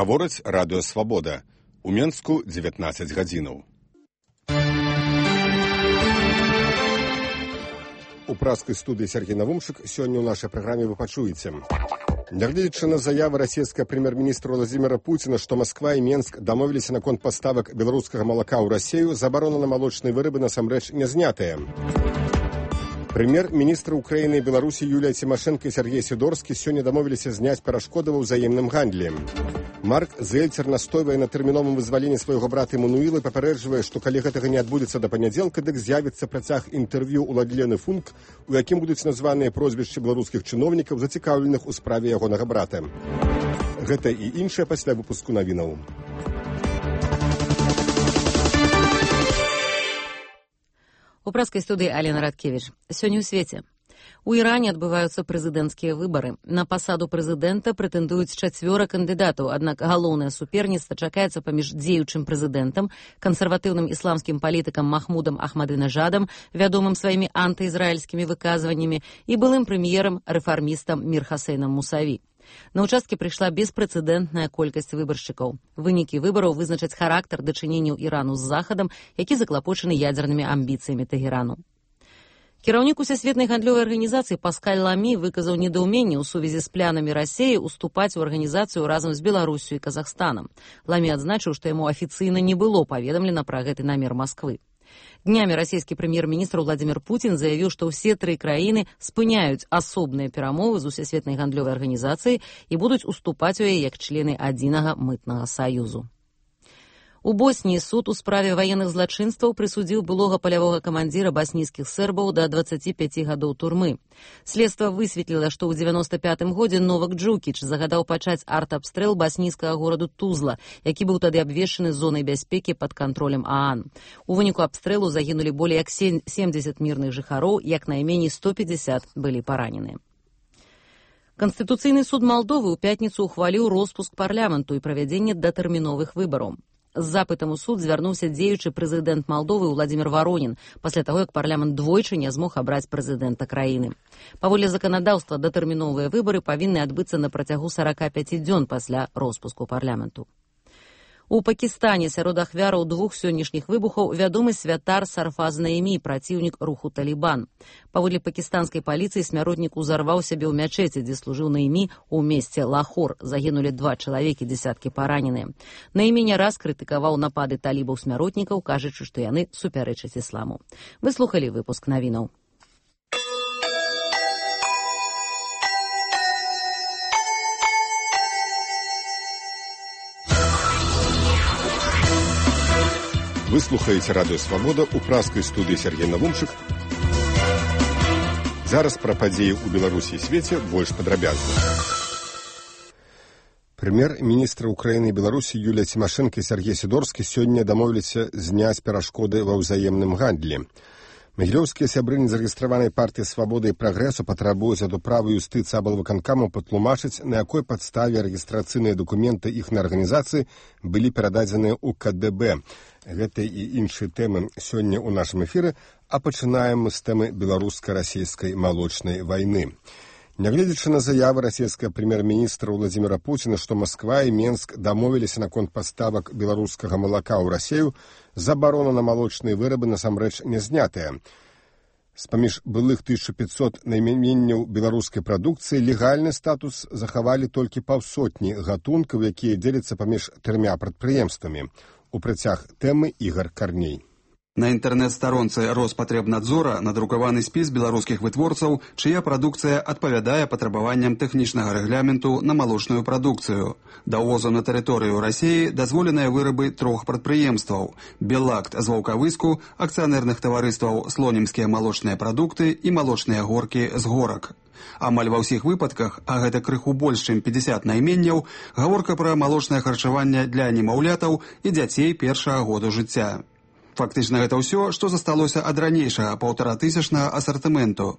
Гаворыць радыё «Свабода». У Менску 19 гадзінаў. У праскай студыі Сергей Навумчык сёння ў нашай праграме вы пачуеце. Нягледзячы на заявы расійскага прэм'ер-міністра Владзіміра Пуціна, што Масква і Менск дамовіліся наконт паставак беларускага малака ў Расію, забарона на малочныя вырабы насамрэч не знятая. Прэм'ер-міністры Украіны і Беларусі Юлія Цімашэнка і Сергей Сідорскі сёння дамовіліся зняць перашкоды ва ўзаемным гандлі. Марк Зельцер настойвае на тэрміновым вызваленні свайго брата Эммануіла і папярэджвае, што калі гэтага не адбудзецца да панядзелка, дык з'явіцца працяг інтэрв'ю ў Ладлены Функ, у якім будуць названыя прозвішчы беларускіх чыноўнікаў, зацікаўленых у справе ягонага брата. Гэта і іншае пасля выпуску навінаў. У праскай студыі Алена Радкевіч. Сёння ў свеце. У Іране адбываюцца прэзідэнцкія выбары. На пасаду прэзідэнта прэтэндуюць 4 кандыдатаў, аднак галоўнае суперніцтва чакаецца паміж дзеючым прэзідэнтам, кансерватыўным ісламскім палітыкам Махмудам Ахмадынежадам, вядомым сваімі антыізраільскімі выказваннямі, і былым прэм'ерам, рэфармістам Мір Хасейнам Мусаві. На ўчасткі прыйшла беспрэцэдэнтная колькасць выбаршчыкаў. Вынікі выбараў вызначаць характар дачыненняў Ірану з Захадам, які заклапочаны ядзернымі амбіцыямі Тэгерану. Кіраўнік усесветнай гандлёвай арганізацыі Паскаль Ламі выказаў недаўменне ў сувязі з планамі Расіі уступаць у арганізацыю разам з Беларусю і Казахстанам. Ламі адзначыў, што яму афіцыйна не было паведамлена пра гэты намер Масквы. Днямі расійскі прэм'ер-міністр Владзімір Пуцін заявіў, што ўсе 3 краіны спыняюць асобныя перамовы з усесветнай гандлёвай арганізацыяй і будуць уступаць у яе як члены адзінага мытнага саюзу. У Босніі суд у справе ваенных злачынстваў прысудзіў былога палявога камандзіра баснійскіх сербаў да 25 гадоў турмы. Следства высветліла, што ў 95-м годзе Новак Джукіч загадаў пачаць арт-абстрэл баснійскага гораду Тузла, які быў тады абвешчаны зонай бяспекі пад кантролем ААН. У выніку абстрэлу загінулі болей як 70 мірных жыхароў, як найменей 150 былі параненыя. Канстытуцыйны суд Малдовы ў пятніцу ухваліў роспуск парламенту і правядзенне датэрміновых выбараў. З запытам у суд звярнуўся дзеючы прэзідэнт Малдовы Владзімір Варонін, пасля таго, як парламент двойчы не змог абраць прэзідэнта краіны. Паводле заканадаўства датэрміновыя выбары павінны адбыцца на працягу 45 дзён пасля роспуску парламенту. У Пакістане сярод ахвяраў 2 сённяшніх выбухаў вядомы святар Сарфаз Наімі, праціўнік руху Талібан. Паводле пакістанскай паліцыі смяротнік узарваў сябе ў мячэці, дзе служыў Наімі ў месце Лахор. Загінулі 2 чалавекі, дзесяткі параненыя. Наімі не раз крытыкаваў напады талібаў-смяротнікаў, кажучы, што яны супярэчаць ісламу. Вы слухалі выпуск навінаў. Вы слухаеце радыё «Свабода» у праскай студыі Сергей Навумчык. Зараз пра падзеі ў Беларусі і свеце больш падрабязна. Прэм'ер-міністры Украіны і Беларусі Юлія Цімашэнка і Сергей Сідорскі сёння дамовіліся зняць перашкоды ва ўзаемным гандлі. Магілёўскія сябры незарэгістраванай партыі «Свабода» і «Прагрэсу» патрабуюць ад управы юстыцыі аблвыканкаму патлумачыць, на якой падставе рэгістрацыйныя дакументы іхнай арганізацыі былі перададзеныя ў КДБ. Гэта і іншыя тэмы сёння ў нашым эфіры, а пачынаем мы з тэмы беларуска-расійскай малочнай вайны. Нягледзячы на заявы расійскага прэм'ер-міністра Владзіміра Пуціна, што Масква і Менск дамовіліся наконт паставак беларускага малака ў Расію, забарона на малочныя вырабы насамрэч не знятая. З-паміж былых 1500 найменняў беларускай прадукцыі легальны статус захавалі толькі паўсотні гатункаў, якія дзеляцца паміж 3 прадпрыемствамі. У працяг тэмы Ігар Карней. На інтэрнэт-старонцы Роспатребнадзора надрукаваны спіс беларускіх вытворцаў, чыя прадукцыя адпавядае патрабаванням тэхнічнага рэгламенту на малочную прадукцыю. Да ўвозу на тэрыторыю Расіі дазволеныя вырабы 3 прадпрыемстваў: Беллакт з Ваўкавыску, акцыянерных таварыстваў Слонімскія малочныя прадукты і малочныя горкі з Горак. Амаль ва ўсіх выпадках, а гэта крыху больш, чым 50 найменняў, гаворка пра малочнае харчаванне для немаўлятаў і дзяцей першага году жыцця. Фактычна гэта ўсё, што засталося ад ранейшага 1500 асартыменту.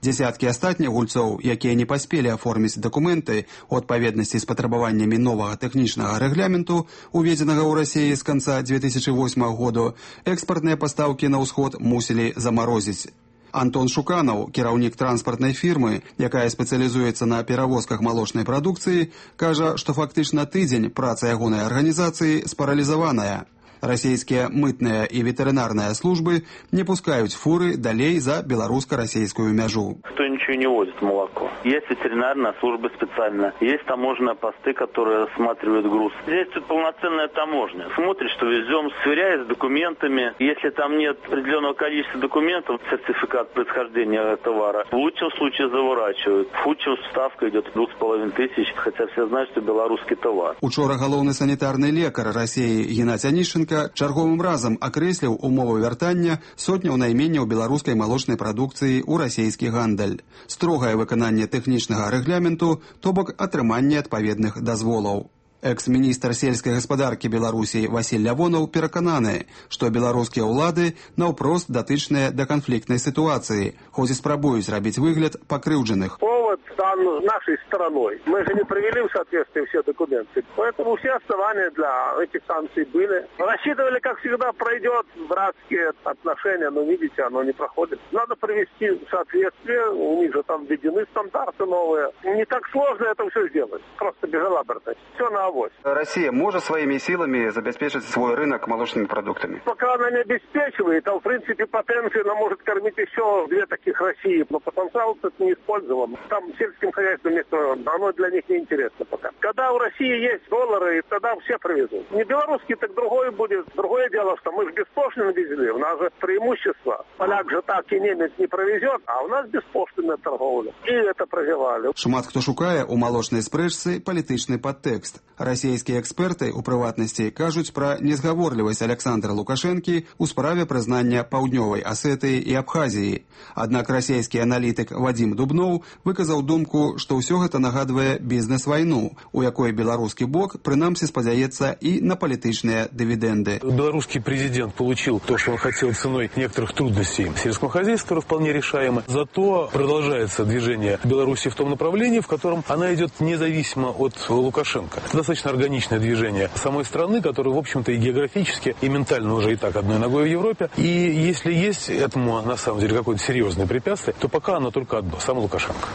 Дзесяткі астатніх гульцоў, якія не паспелі аформіць дакументы у адпаведнасці з патрабаваннямі новага тэхнічнага рэгламенту, уведзенага ў Расіі з канца 2008 году, экспартныя пастаўкі на ўсход мусілі замарозіць. Антон Шуканаў, кіраўнік транспартнай фірмы, якая спецыялізуецца на перавозках малочнай прадукцыі, кажа, што фактычна тыдзень праца ягонай арганізацыі спаралізаваная. Расійскія мытныя і ветэрынарныя службы не пускаюць фуры далей за беларуска-расійскую мяжу. Кто ничего не возит молоко. Есть ветеринарная служба специальная, есть таможенные посты, которые рассматривают груз. Здесь тут полноценная таможня. Смотрит, что везем, сверяясь с документами. Если там нет определенного количества документов, сертификат происхождения товара, в лучшем случае заворачивают. В худшем ставка идет 2500, хотя все знают, что белорусский товар. Учора галоўны санітарны лекар Расіі Геннадзь Анішченка чарговым разам акрэсліў умовы вяртання сотняў найменняў беларускай малочнай прадукцыі ў расійскі гандаль. Строгае выкананне тэхнічнага рэгламенту, то бок атрыманне адпаведных дазволаў. Экс-міністр сельскай гаспадаркі Беларусі Васіль Лявонаў перакананы, што беларускія ўлады наўпрост датычныя да канфліктнай сітуацыі, хоць і спрабуюць рабіць выгляд пакрыўджаных. Повод дан нашей стороной. Мы же не привели в соответствие все документы. Поэтому все основания для этих санкций были. Рассчитывали, как всегда, пройдет братские отношения, но видите, оно не проходит. Надо привести в соответствие, у них же там введены стандарты новые. Не так сложно это все сделать. Просто безалаберность. Все на авось. Россия может своими силами забеспечить свой рынок молочными продуктами? Пока она не обеспечивает, а в принципе потенциально она может кормить еще две таких России, но потенциал это не использован. Там сельским хозяйством оно для них не интересно пока. Когда у России есть доллары, тогда все привезут. Не белорусский, так другой будет. Другое дело, что мы же беспошлино везли, у нас же преимущество. Поляк же так и немец не провезет, а у нас беспошлинная торговля. И это прозевали. Шмат хто шукае у малочнай спрэчцы палітычны падтэкст. Расійскія эксперты, у прыватнасці, кажуць пра незгаворлівасць Александра Лукашэнкі ў справе прызнання Паўднёвай Асетыі і Абхазіі. Аднак расійскі аналітык Вадзім Дубноў выказаў думку, што ўсё гэта нагадвае бізнес-вайну, у якой беларускі бок прынамсі спадзяецца і на палітычныя дывідэнды. Белорусский президент получил то, что он хотел ценой некоторых трудностей сельского хозяйства, вполне решаемо. Зато продолжается движение Беларуси в том направлении, в котором она идет независимо от Лукашенко. Это достаточно органичное движение самой страны, которая, в общем-то, и географически, и ментально уже и так одной ногой в Европе. И если есть этому, на самом деле, какое-то серьезное препятствие, то пока оно только одно, сам Лукашенко.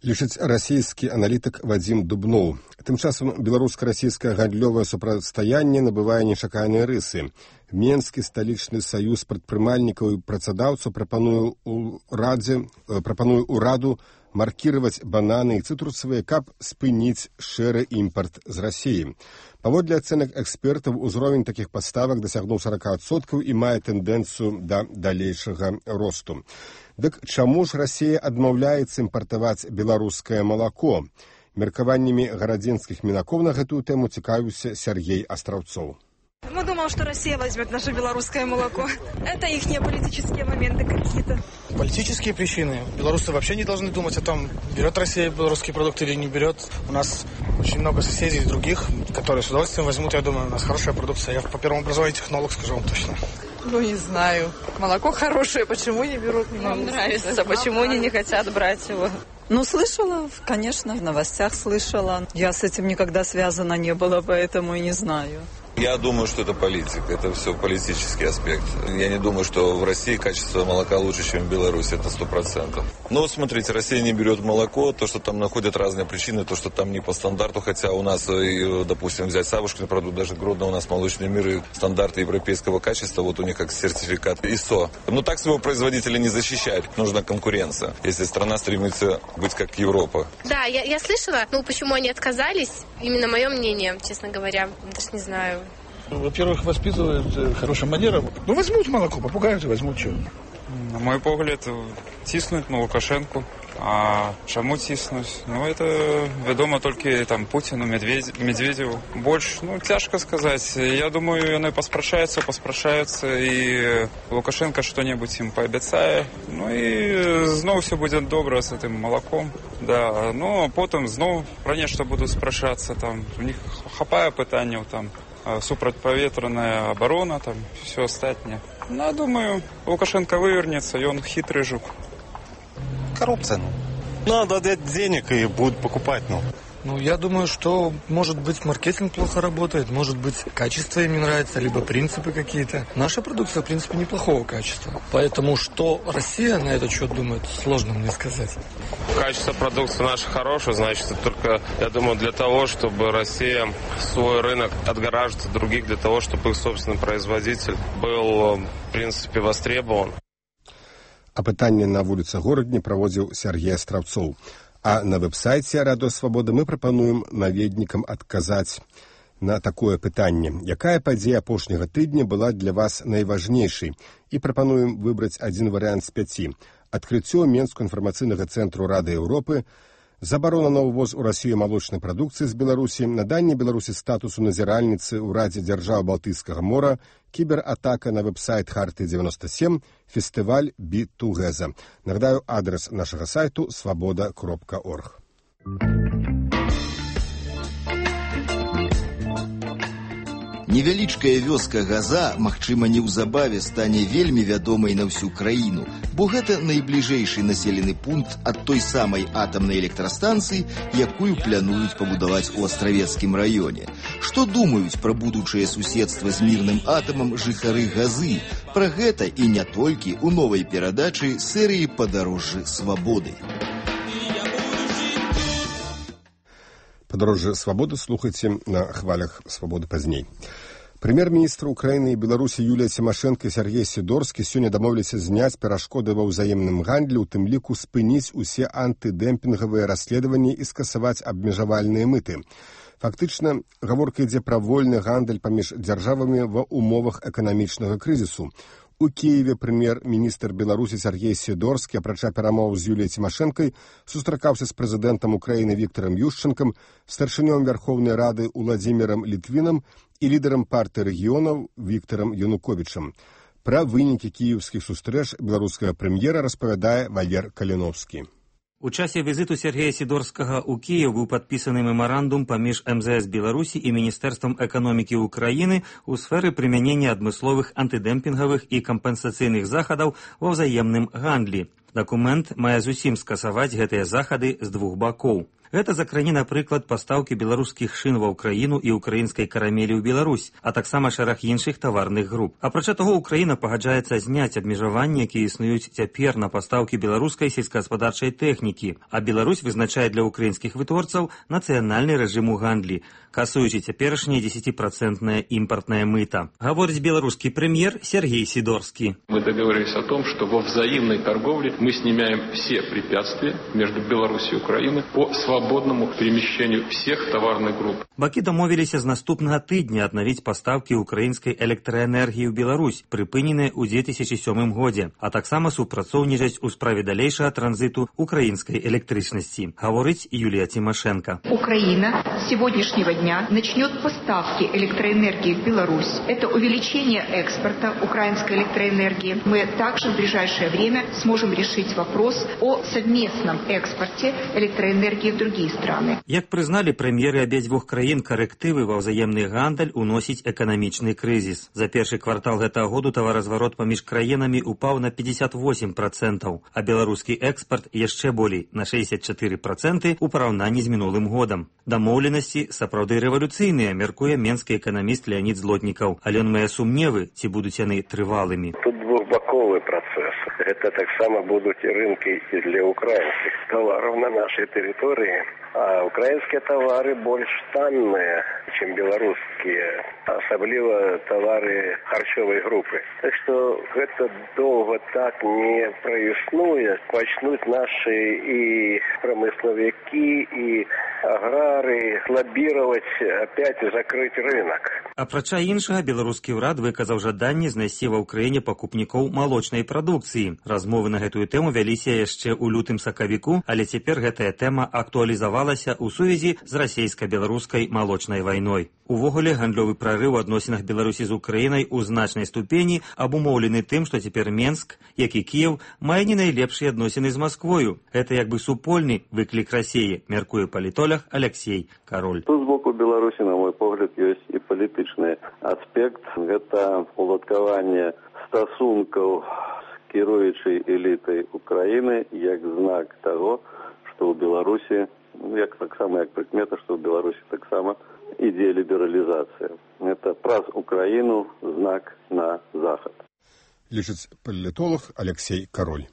Лічыць расійскі аналітык Вадзім Дубноў. Тым часам беларуска-расійскае гандлёвае супрацьстаянне набывае нечаканыя рысы. Менскі сталічны саюз прадпрымальнікаў і працадаўцаў прапануе ўраду маркировать бананы и цитрусовые, каб спыніць шэры імпорт з Расіі. Паводле ацэнак экспертаў, узровень такіх паставак дасягнуў 40% і мае тэндэнцыю да далейшага росту. Дык чаму ж Расія адмаўляецца імпартаваць беларускае малако? Меркаваннямі гарадзенскіх мінакоў на гэтую тэму цікавіўся Сергей Астраўцоў. Мы думаем, что Россия возьмет наше белорусское молоко. Это их политические моменты какие-то. Политические причины. Белорусы вообще не должны думать о том, берет Россия белорусские продукты или не берет. У нас очень много соседей других, которые с удовольствием возьмут. Я думаю, у нас хорошая продукция. Я по первому образованию технолог, скажу вам точно. Ну, не знаю. Молоко хорошее, почему не берут? Нам нравится. Почему они не хотят брать его? Ну, слышала, конечно, в новостях слышала. Я с этим никогда связана не была, поэтому и не знаю. Я думаю, что это политика, это все политический аспект. Я не думаю, что в России качество молока лучше, чем в Беларуси, это 100%. Но смотрите, Россия не берет молоко, то, что там находят разные причины, то, что там не по стандарту, хотя у нас, допустим, взять Савушкин продукт, даже Гродно у нас молочный мир и стандарты европейского качества, вот у них как сертификат ИСО. Но так своего производителя не защищать, нужна конкуренция, если страна стремится быть как Европа. Да, я слышала, ну почему они отказались, именно мое мнение, честно говоря, даже не знаю. Во-первых, воспитывают хорошим манерам. Ну, возьмут молоко, попугают и возьмут что. На мой погляд, тиснуть на Лукашенку. А чому тиснуть? Ну, это відомо тільки там Путіну, Медведеву. Больше, ну, тяжко сказать. Я думаю, вони поспрашаються, і Лукашенко що-небудь їм пообіцяє. Ну, і знову все буде добре з цим молоком. Да. Ну, а потім знову про нечто будуть спрашатися. Там, у них хапає питання, там, супротиповітряна оборона, там, все остальне. Ну, я думаю, Лукашенко вывернется, и он хитрый жук. Коррупция, Надо дать денег и будут покупать, Ну, я думаю, что, может быть, маркетинг плохо работает, может быть, качество им не нравится, либо принципы какие-то. Наша продукция, в принципе, неплохого качества. Поэтому, что Россия на этот счет думает, сложно мне сказать. Качество продукции нашей хорошее, значит, это только, я думаю, для того, чтобы Россия свой рынок отгораживает от других, для того, чтобы их собственный производитель был, в принципе, востребован. Апытанне на вуліцы горадні праводзіў Сергей Астравцоў. А на веб-сайце Радыё Свабода мы прапануем наведнікам адказаць на такое пытанне. Якая падзея апошняга тыдня была для вас найважнейшай? І прапануем выбраць адзін варыянт з 5. Адкрыццё Менскага інфармацыйнага цэнтру Рады Еўропы, забарона на ўвоз у Расію малочнай прадукцыі з Беларусі, наданне Беларусі статусу назіральніцы ў Радзе дзяржаў Балтыйскага мора, кібератака на веб-сайт Харты-97, фестываль Be2Geza. Нагадаю, адрес нашага сайту свабода.орг. Невялічкая вёска Газа, магчыма, неўзабаве стане вельмі вядомай на ўсю краіну, бо гэта найбліжэйшы населены пункт ад той самай атамнай электрастанцыі, якую плануюць пабудаваць у Астравецкім раёне. Што думаюць пра будучае суседства з мірным атамам жыхары Газы? Пра гэта і не толькі ў новай перадачы серыі «Падарожжы свабоды». «Падарожжы свабоды» слухайце на хвалях «Свабоды» пазней. Прэм'ер-міністр Украіны і Беларусі Юлія Цімашэнка і Сергей Сідорскі сёння дамовіліся зняць перашкоды ва ўзаемным гандлі, у тым ліку спыніць усе антыдэмпінгавыя расследаванні і скасаваць абмежавальныя мыты. Фактычна, гаворка ідзе пра вольны гандаль паміж дзяржавамі ва ўмовах эканамічнага крызісу. У Киеве прэм'ер-міністр Беларусі Сергей Сідорскі, апрача перамоў з Юліяй Цімашэнкай, сустракаўся з прэзідэнтам Украіны Віктарам Юшчэнкам, старшынём Вярхоўнай Рады Уладзімірам Літвінам і лідарам партыі рэгіёнаў Віктарам Януковічам. Пра вынікі кіеўскіх сустрэч беларускага прэм'ера распавядае Валер Каліновскі. У часе візіту Сергея Сідорскага ў Кіев быў падпісаны мемарандум паміж МЗС Беларусі і Міністэрствам эканомікі Украіны ў сферы прымянення адмысловых антыдэмпінгавых і кампенсацыйных захадаў ва ўзаемным гандлі. Дакумент мае зусім скасаваць гэтыя захады з двух бакоў. Гэта закране, напрыклад, пастаўкі беларускіх шын ва ўкраіну і украінскай карамелі ў Беларусь, а таксама шэраг іншых таварных груп. Апрача таго, Украіна пагаджаецца зняць абмежаванні, якія існуюць цяпер на пастаўкі беларускай сельскагаспадарчай тэхнікі, а Беларусь вызначае для украінскіх вытворцаў нацыянальны рэжым у гандлі, касуючы цяперашняе 10% імпартнае мыта. Гаворыць беларускі прэм'ер Сергей Сідорскі. Мы договорились о том, что во взаимной торговле мы снимаем все препятствия между Беларусью и Украиной по свободному перемещению всех товарных групп. Бакі дамовіліся з наступнага тыдня аднавіць пастаўкі украінскай электраэнергіі ў Беларусь, прыпыненыя ў 2007 годзе, а таксама супрацоўнічаць у справе далейшага транзиту украінскай электрычнасці, гаворыць Юлія Цімашэнка. Украина с сегодняшнего дня начнет поставки электроэнергии в Беларусь. Это увеличение экспорта украинской электроэнергии. Мы также в ближайшее время сможем решить вопрос о совместном экспорте электроэнергии в другие страны. Як прызналі прэм'еры абедзвюх краін, карэктывы ва ўзаемны гандаль уносіць эканамічны крызіс. За першы квартал гэтага году таваразварот паміж краінамі упаў на 58%, а беларускі экспарт яшчэ болей на 64% у параўнанні з мінулым годам. Дамоўленасці сапраўды рэвалюцыйныя, мяркуе менскі эканаміст Леонид Злотнікаў, але ён мае сумневы, ці будуць яны трывалымі. Тут двухбаковый процесс. Это так само будут и рынки и для украинских товаров на нашей территории. А украинские товары больше танные, чем белорусские, особливо товары харчовой группы. Так что это долго так не прояснует. Начнут наши и промысловики, и аграры лоббировать опять закрыть рынок. Апрача іншага, беларускі ўрад выказаў жаданне знайсці ва ўкраіне пакупнікоў малочнай прадукцыі. Размовы на гэтую тэму вяліся яшчэ ў лютым-сакавіку, але цяпер гэтая тэма актуалізавалася ў сувязі з расейска-беларускай малочнай вайной. Увогуле, гандлёвы прарыў у адносінах Беларусі з Украінай у значнай ступені абумоўлены тым, што цяпер Менск, як і Кіеў, мае не найлепшыя адносіны з Масквою. Гэта як бы супольны выклік Расіі, мяркуе палітолог Алексей Король. Тут з боку Беларусі, на мой погляд, ёсць і палітычны аспект. Гэта уладкаванне стасункаў з кіруючай элітай Украіны як знак таго, што ў Беларусі як прыкмета, што ў Беларусі таксама ідзе лібералізацыя. Это праз Украіну знак на захад. Лічыць палітолог Алексей Кароль.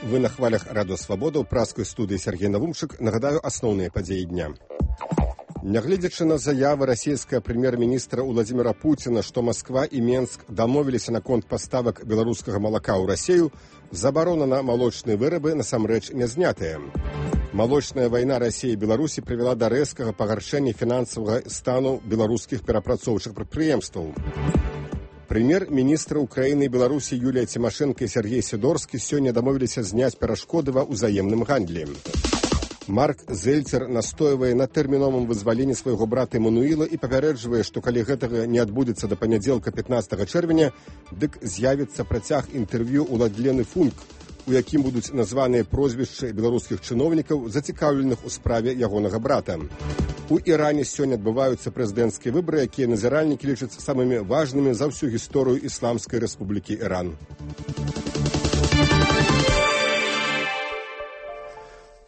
Вы на хвалях Радио Свабода, у праскай студыі Сергей Навумчык. Нагадаю асноўныя падзеі дня. Нягледзячы на заявы расійскага прэм'ер-міністра Владзіміра Пуціна, што Масква і Менск дамовіліся наконт паставак беларускага малака ў Расію, забарона на малочныя вырабы насамрэч не знятая. Малочная вайна Расіі і Беларусі прывяла да рэзкага пагаршэння фінансавага стану беларускіх перапрацоўчых прадпрыемстваў. Прэм'ер-міністры Украіны і Беларусі Юлія Цімашэнка і Сергей Сідорскі сёння дамовіліся зняць перашкоды ва ўзаемным гандлі. Марк Зельцер настойвае на тэрміновым вызваленні свайго брата Эмануіла і папярэджвае, што калі гэтага не адбудзецца да панядзелка 15 чэрвеня, дык з'явіцца працяг інтэрв'ю Уладлены Функ, у якім будуць названыя прозвішчы беларускіх чыноўнікаў, зацікаўленых у справе ягонага брата. У Іране сёння адбываюцца прэзідэнцкія выбары, якія назіральнікі лічаць самымі важнымі за ўсю гісторыю Ісламскай Рэспублікі Іран.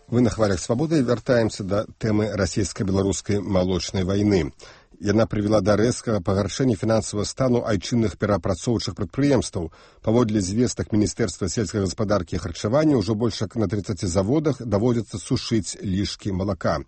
Вы на хвалях Свабоды, вяртаемся да тэмы расійска-беларускай малочнай вайны. Яна прывяла да рэзкага пагаршэння фінансавага стану айчынных перапрацоўчых прадпрыемстваў. Паводле звестак Міністэрства сельскай гаспадаркі і харчавання ўжо больш як на 30 заводах даводзіцца сушыць лішкі малака.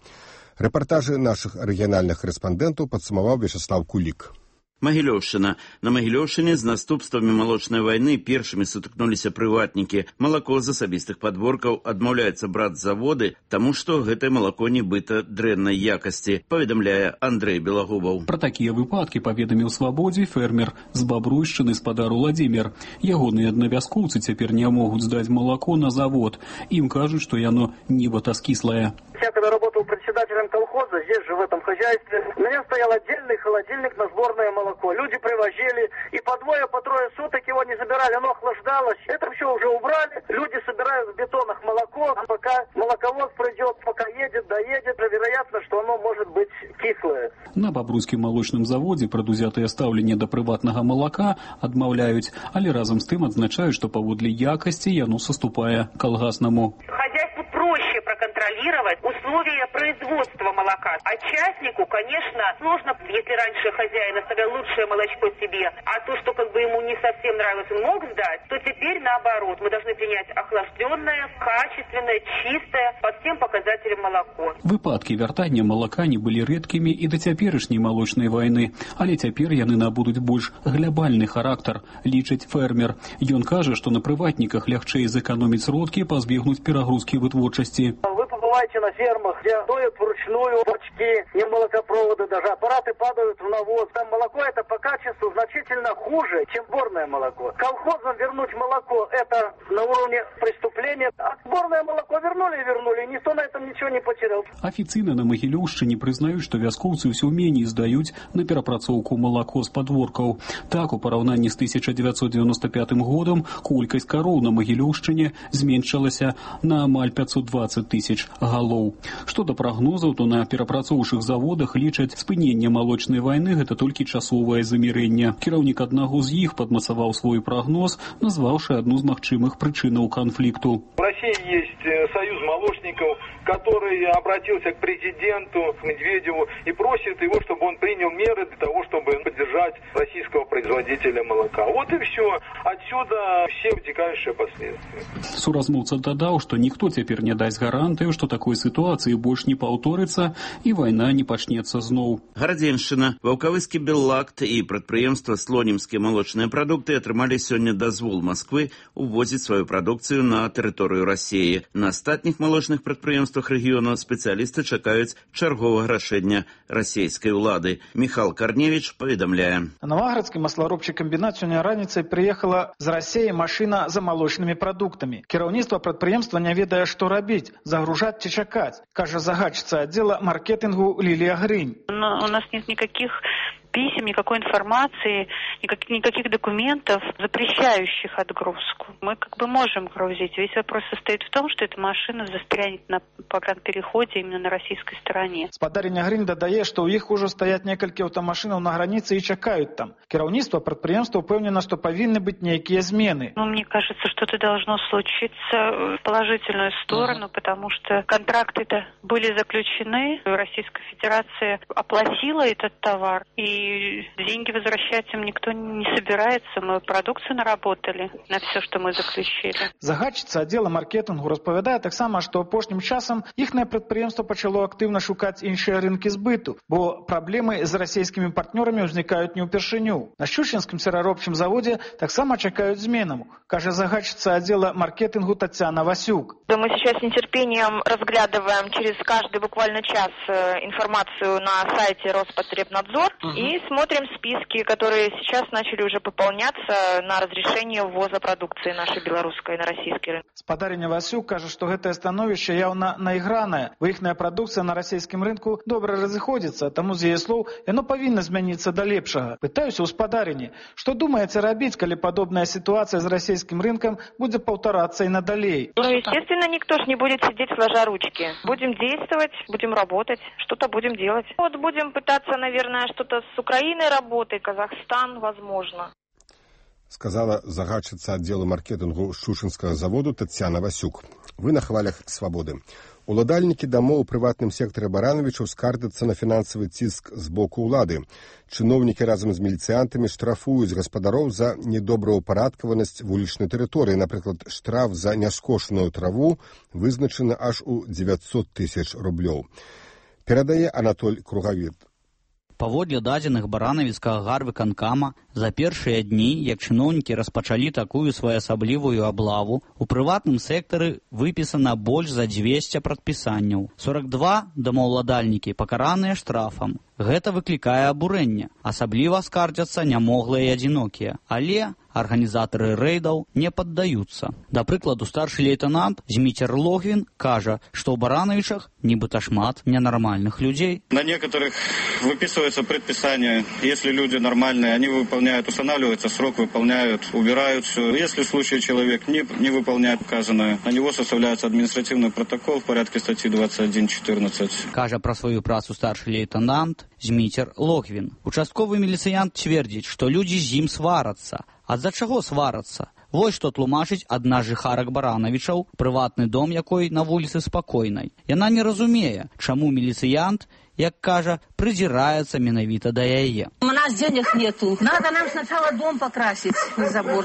Рэпартажы нашых рэгіянальных корэспандэнтаў падсумаваў Вячеслав Кулік. Магілёўшчына. На Магілёўшчыне з наступствамі малочнай вайны першымі сутыкнуліся прыватнікі. Малако з асабістых падворкаў адмаўляецца браць заводы, таму што гэтае малако нібыта дрэннай якасці, паведамляе Андрэй Белагубаў. Пра такія выпадкі паведаміў Свабодзе фермер з Бабруйшчыны спадар Уладзімір. Ягоныя аднавяскоўцы цяпер не могуць здаць малако на завод. Ім кажуць, што яно нібыта скіслае. Я когда работал председателем колхоза, здесь же в этом хозяйстве, у меня стоял отдельный холодильник на сборное молоко. Люди привозили, и по двое, по трое суток его не забирали, оно охлаждалось. Это все уже убрали, люди собирают в бетонах молоко, а пока молоковоз пройдет, пока едет, доедет, вероятно, что оно может быть кислое. На Бабруйскім молочным заводе прадузятыя стаўленне да прыватнага малака адмаўляюць, але разам з тым адзначаюць, што паводле якасці яно саступае калгаснаму. Хозяйству проще проконтролировать условия производства молока. А частнику, конечно, сложно, если раньше хозяин оставлял лучшее молочко себе, а то, что как бы ему не совсем нравилось, он мог сдать, то теперь наоборот. Мы должны принять охлажденное, качественное, чистое, по всем показателям молоко. Выпадкі вяртання малака не былі рэдкімі і да цяперашняй малочнай вайны, але цяпер яны набудуць больш глябальны характар, лічыць фермер. Ён кажа, што на прыватніках лягчэй зэканоміць сродкі, пазбегнуць перагрузкі вытворчасці. Вы побываете на фермах, где доят вручную бочки, не молокопроводы даже, аппараты падают в навоз. Там молоко это по качеству значительно хуже, чем сборное молоко. Колхозам вернуть молоко это на уровне преступления, а сборное молоко вернули, никто на этом ничего не потерял. Афіцыйна на Магілёўшчыне прызнаюць, што вяскоўцы ўсё меней здаюць на перапрацоўку малако з падворкаў. Так, у параўнанні з 1995 годам колькасць кароў на Магілёўшчыне зменшылася на амаль 520 тысяч галоў. Што да прагнозаў, то на перапрацоўчых заводах лічаць спыненне малочнай вайны гэта толькі часовае замірэнне. Кіраўнік аднаго з іх падмацаваў свой прагноз, назваўшы адну з магчымых прычынаў канфлікту. В России есть союз молочников, который обратился к президенту Медведеву и просит его, чтобы он принял меры для того, чтобы поддержать российского производителя молока. Вот и все. Отсюда все вытекающие последствия. Суразмоўца дадаў, што ніхто цяпер не дасць гарантыю, што такой сітуацыі больш не паўторыцца і вайна не пачнецца зноў. Гарадзеншчына, Ваўкавыскі Беллакт і прадпрыемства Слонімскія малочныя прадукты атрымалі сёння дазвол Масквы увозіць сваю прадукцыю на тэрыторыю Расіі. На астатніх малочных прадпрыемствах рэгіёну спецыялісты чакаюць чарговага рашэння расійскай улады. Міхал Карневіч паведамляе. На Новоградскі масларобчы камбінат сёння раніцай прыехала з Расіі машына за малочнымі прадуктамі. Кіраўніцтва прадпрыемства не ведае, што рабіць, загружаць ці чакаць, кажа загадчыца аддзела маркетынгу Лілія Грынь. У нас нет никаких писем, никакой информации, никаких документов, запрещающих отгрузку. Мы можем грузить. Весь вопрос состоит в том, что эта машина застрянет на погранпереходе именно на российской стороне. Спадарня Грин додае, што ў іх ужо стаять некалькі аўтамашынаў на граніцы і чакаюць там. Кіраўніцтва прадпрыемства ўпэўнена, што павінны быць нейкія змены. Мне кажется, что-то должно случиться в положительную сторону, потому что контракты-то были заключены, Российская Федерация оплатила этот товар, и деньги возвращать им никто не собирается. Мы продукцию наработали на все, что мы заключили. Загадчыца аддзела маркетынгу распавядае таксама, што апошнім часам іхнае прадпрыемства пачало актыўна шукаць іншыя рынкі збыту, бо праблемы з расійскімі партнёрамі ўзнікаюць не ўпершыню. На Щучинскім сыраробчым заводе таксама чакаюць зменам, кажа загадчица отдела маркетингу Татьяна Васюк. Мы сейчас с нетерпением разглядываем через каждый буквально час информацию на сайте Роспотребнадзор и смотрим списки, которые сейчас начали уже пополняться на разрешение ввоза продукции нашей белорусской на российский рынок. Спадарня Васюк кажа, што гэтае становішча яўна наігранае, бо іхная прадукцыя на расійскім рынку добра разыходзіцца, таму з яе слоў яно павінна змяніцца да лепшага. Пытаюся ў спадарні, што думаеце рабіць, калі падобная ситуация с российским рынком будет повторяться и надалей? Естественно, никто ж не будет сидеть сложа ручки. Будем действовать, будем работать, что-то будем делать. Будем пытаться, наверное, что-то с Украиной работать, Казахстан, возможно. Сказала загадчица отдела маркетингу Щучинского заводу Татьяна Васюк. Вы на хвалях свободы. Уладальнікі дамоў у прыватным сектары Барановичаў скардзяцца на фінансавы ціск з боку ўлады. Чыноўнікі разам з міліцыянтамі штрафуюць гаспадароў за недобраўпарадкаванасць вулічнай тэрыторыі. Напрыклад, штраф за няскошаную траву вызначаны аж у 900 000 рублёў. Перадае Анатоль Кругавіт. Паводле дадзеных баранавіцкага гарвыканкама, за першыя дні, як чыноўнікі распачалі такую своеасаблівую аблаву, у прыватным сектары выпісана больш за 200 прадпісанняў. 42 домаўладальнікі пакараныя штрафам. Гэта выклікае абурэнне. Асабліва скардзяцца нямоглыя і адзінокія. Але арганізатары рэйдаў не паддаюцца. Да прыкладу, старшы лейтенант Зміцер Логвін кажа, што ў Барановичах нібыта шмат ненормальных людей. На некоторых выписывается предписание. Если люди нормальные, они выполняют, устанавливается срок, выполняют, убирают все. Если в случае человек не выполняет указанное, на него составляется административный протокол в порядке статьи 21.14. Кажа пра сваю працу старшы лейтенант Зміцер Логвін. Участковы міліцыянт цвердзіць, што людзі з ім сварацца. А з-за чаго сварацца? Вось што тлумачыць адна з жыхарак Барановичаў, прыватны дом якой на вуліцы Спакойнай. Яна не разумее, чаму міліцыянт, як кажа, придирается менавіта да яе. У нас денег нету. Надо нам сначала дом покрасить, забор.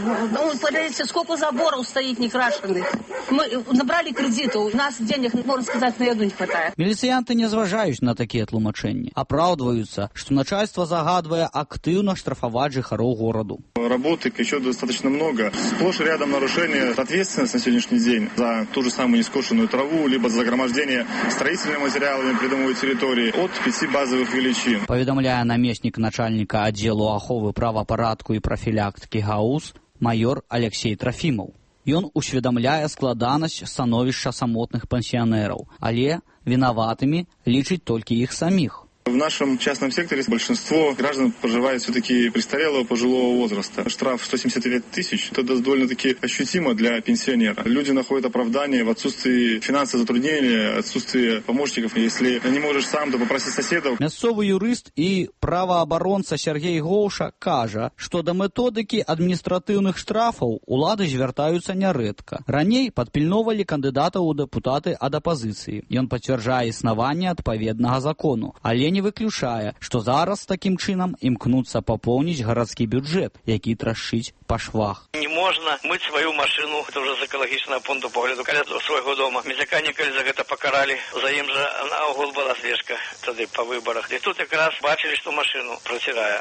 Подивіться, сколько заборов стоит некрашенных. Мы набрали кредиту, у нас денег, можно сказать, на еду не хватает. Міліцыянты не зважаюць на такія тлумачэнні. Апраўдваюцца, што начальство загадвае актыўна штрафаваць жыхароў гораду. Работы еще достаточно много. Сплошь и рядом нарушения ответственности на сегодняшний день за ту же самую нескошенную траву, либо за загромождение строительными материалами придомовой территории от 5 базовых величин. Паведамляе намеснік начальніка аддзелу аховы правапарадку і прафілактыкі ГАУС майор Алексей Трофимов. Ён усведамляе складанасць становішча самотных пенсионераў, але вінаватымі лічыць толькі іх саміх. В нашем частном секторе большинство граждан проживает все-таки престарелого пожилого возраста. Штраф 179 тысяч, это довольно-таки ощутимо для пенсионера. Люди находят оправдание в отсутствии финансовых затруднений, отсутствии помощников. Если не можешь сам, то попроси соседов. Мясцовы юрыст і праваабаронца Сергей Гоуша кажа, што да методыкі адміністратыўных штрафаў улады звяртаюцца нярэдка. Раней падпільновалі кандыдатаў у дэпутаты ад апазіцыі. Ён пацвярджае існаванне адпаведнага закону, але не выключае, што зараз такім чынам імкнуцца папоўніць гарадскі бюджэт, які трашчыць па швах. Не можна мыць сваю машыну, это уже з экалагічнага пункту погляду, каля свайго дома. Мезяканікалі за гэта пакаралі, за ім жа наогул была слежка тады па выбарах. І тут якраз бачылі, што машыну працірае.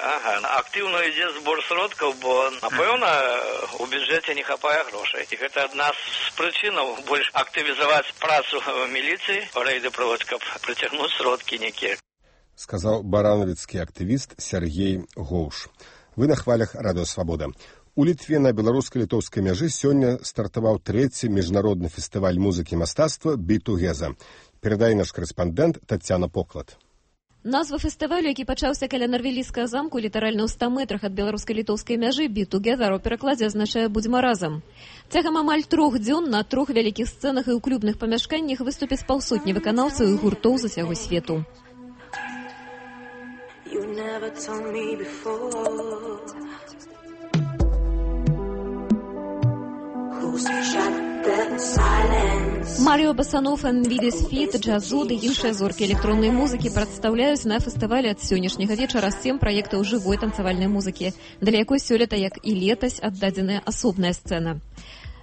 Актыўна ідзе збор сродкаў, бо, напэўна, у бюджэце не хапае грошай. І гэта адна з прычынаў больш актывізаваць працу міліцыі, рэйды праводзіць, каб прыцягнуць сродкі некія. Сказаў барановіцкі актывіст Сергей Гоуш. Вы на хвалях Радыё Свабода. У Літве на беларуска-літоўскай мяжы сёння стартаваў 3-й міжнародны фестываль музыкі і мастацтва «Бітугеза». Перадае наш корэспандэнт Тацяна Поклад. Назва фестывалю, які пачаўся каля Нарвелійскага замку, літаральна ў 100 метрах ад беларуска-літоўскай мяжы, «Be Together» у перакладзе азначае «Будзьма разам». Цягам амаль 3 дзён на 3 вялікіх сцэнах і ў клубных памяшканнях выступяць паўсотні выканаўцаў і гуртоў з усяго свету. Маріо Басанов, Энвидис Фит, Джазу ды іншыя зоркі электроннай музыкі прадстаўляюць на фестывале ад сённяшняга вечара 7 праектаў жывой танцавальнай музыкі, для якой сёлета, як і летась, аддадзеная асобная сцэна.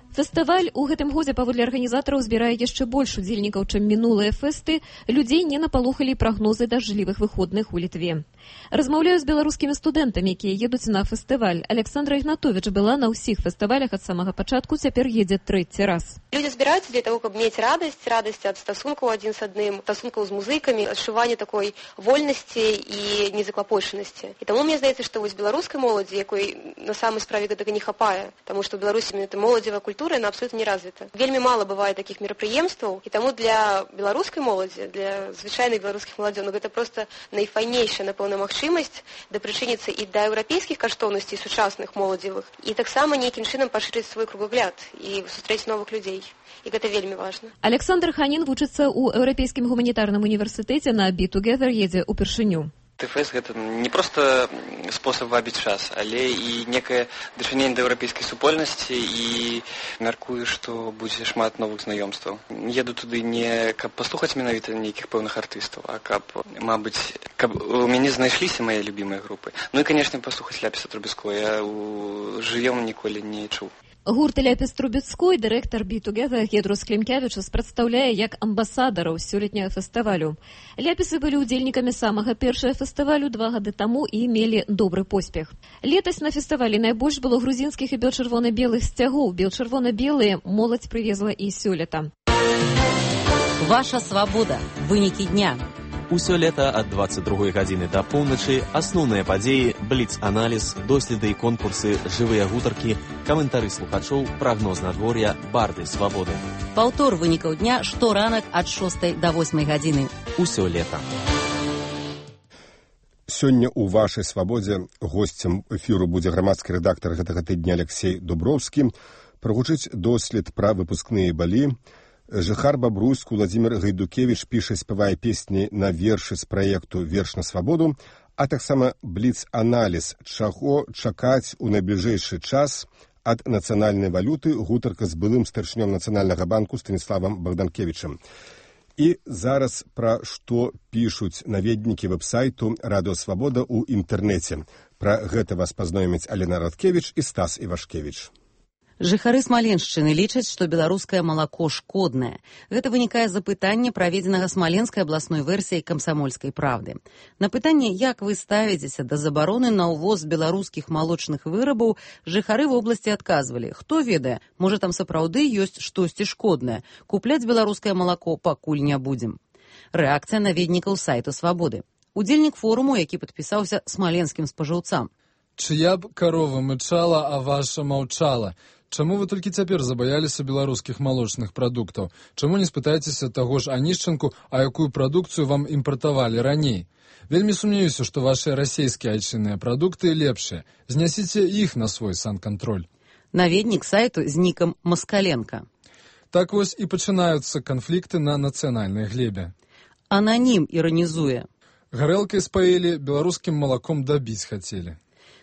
Фестываль у гэтым годзе паводле арганізатараў збірае яшчэ больш удзельнікаў, чым мінулыя фэсты. Людзей не напалохалі прагнозы дажджлівых выходных у Літве. Размаўляю з беларускімі студэнтамі, якія едуць на фестываль. Александра Игнатович была на ўсіх фестывалях ад самага пачатку, цяпер едзе 3-й раз. Люди збіраюцца для того, каб мець радасць ад стасункаў адзін з адным, стасункаў з музыкамі, адчуванне такой вольнасці і незаклапочанасці. І таму мне здаецца, што вось беларускай моладзі, якой на самай справе гэтага не хапае, таму што ў Беларусі гэта моладзевая культура, она абсолютно не развита. Вельмі мало бывае такіх мерапрыемстваў, і таму для беларускай моладзі, для звычайных беларускіх маладзёнаў гэта проста найфайнейшая, напэўна, магчымасць дапрычыніцца і да еўрапейскіх каштоўнасцей сучасных моладзевых, і таксама нейкім чынам пашырыць свой кругагляд і сустрэць новых людзей. І гэта вельмі важна. Александр Ханін вучыцца ў Еўрапейскім гуманітарным універсітэце, на «Be Together» едзе ўпершыню. ТФС гэта не проста спосаб вабіць час, але і некае дачыненне да еўрапейскай супольнасці, і мяркую, што будзе шмат новых знаёмстваў. Еду туды не каб паслухаць менавіта нейкіх пэўных артыстаў, а каб, мабыць, каб у мяне знайшліся мае любімыя групы. Ну і, канешне, паслухаць Ляпіса Трубецкого. Я жывём ніколі не чуў. Гурт Ляпіс Трубецкой, дырэктар «Be Together» Гедрус Клімкевічус прадстаўляе як амбасадараў сёлетняга фестывалю. Ляпісы былі ўдзельнікамі самага першага фестывалю 2 гады таму і мелі добры поспех. Летась на фестывалі найбольш было грузінскіх і бел-чырвона-белых сцягоў. Бел-чырвона-белыя моладзь прывезла і сёлета. Ваша свабода. Вынікі дня. Усё лета ад 22 гадзіны да поўначы асноўныя падзеі, бліц-аналіз, доследы і конкурсы, жывыя гутаркі, каментары слухачоў, прагноз надвор'я, барды свабоды. Паўтор вынікаў дня шторанак ад 6 да 8 гадзіны. Усё лета. Сёння ў вашай свабодзе госцем эфіру будзе грамадскі рэдактар гэтага тыдня Алексей Дубровскі. Прагучыць дослед пра выпускныя балі. Жыхар Бабруйск Владзімір Гайдукевіч піша, спявае песні на вершы з праекту «Верш на свабоду», а таксама бліц-аналіз, чаго чакаць у найбліжэйшы час ад нацыянальнай валюты, гутарка з былым старшынём Нацыянальнага банку Станіславам Богданкевічам. І зараз пра што пішуць наведнікі вэб-сайту «Радыё Свабода» ў інтэрнэце. Пра гэта вас пазнаёмяць Алена Радкевіч і Стас Івашкевіч. Жыхары Смаленшчыны лічаць, што беларускае малако шкоднае. Гэта вынікае з апытання, праведзенага Смаленскай абласной версіяй «Камсамольскай правды». На пытанне, як вы ставіцеся да забароны на ўвоз беларускіх малочных вырабаў, жыхары вобласці адказвалі: хто ведае, можа там сапраўды ёсць штосьці шкоднае. Купляць беларускае малако пакуль не будзем. Рэакцыя наведнікаў сайту «Свабоды». Удзельнік форуму, які падпісаўся смаленскім спажыўцам. Чыя б карова мычала, а ваша маўчала. Чаму вы толькі цяпер забаяліся беларускіх малочных прадуктаў? Чаму не спытаецеся таго ж Анішчанку, а якую прадукцыю вам імпартавалі раней? Вельмі сумнеюся, што вашыя расейскія айчынныя прадукты лепшыя. Знясіце іх на свой санкантроль. Наведнік сайту з нікам Маскаленка. Так вось і пачынаюцца канфлікты на нацыянальнай глебе. Ананім іранізуе. Гарэлкай спаілі, беларускім малаком дабіць хацелі.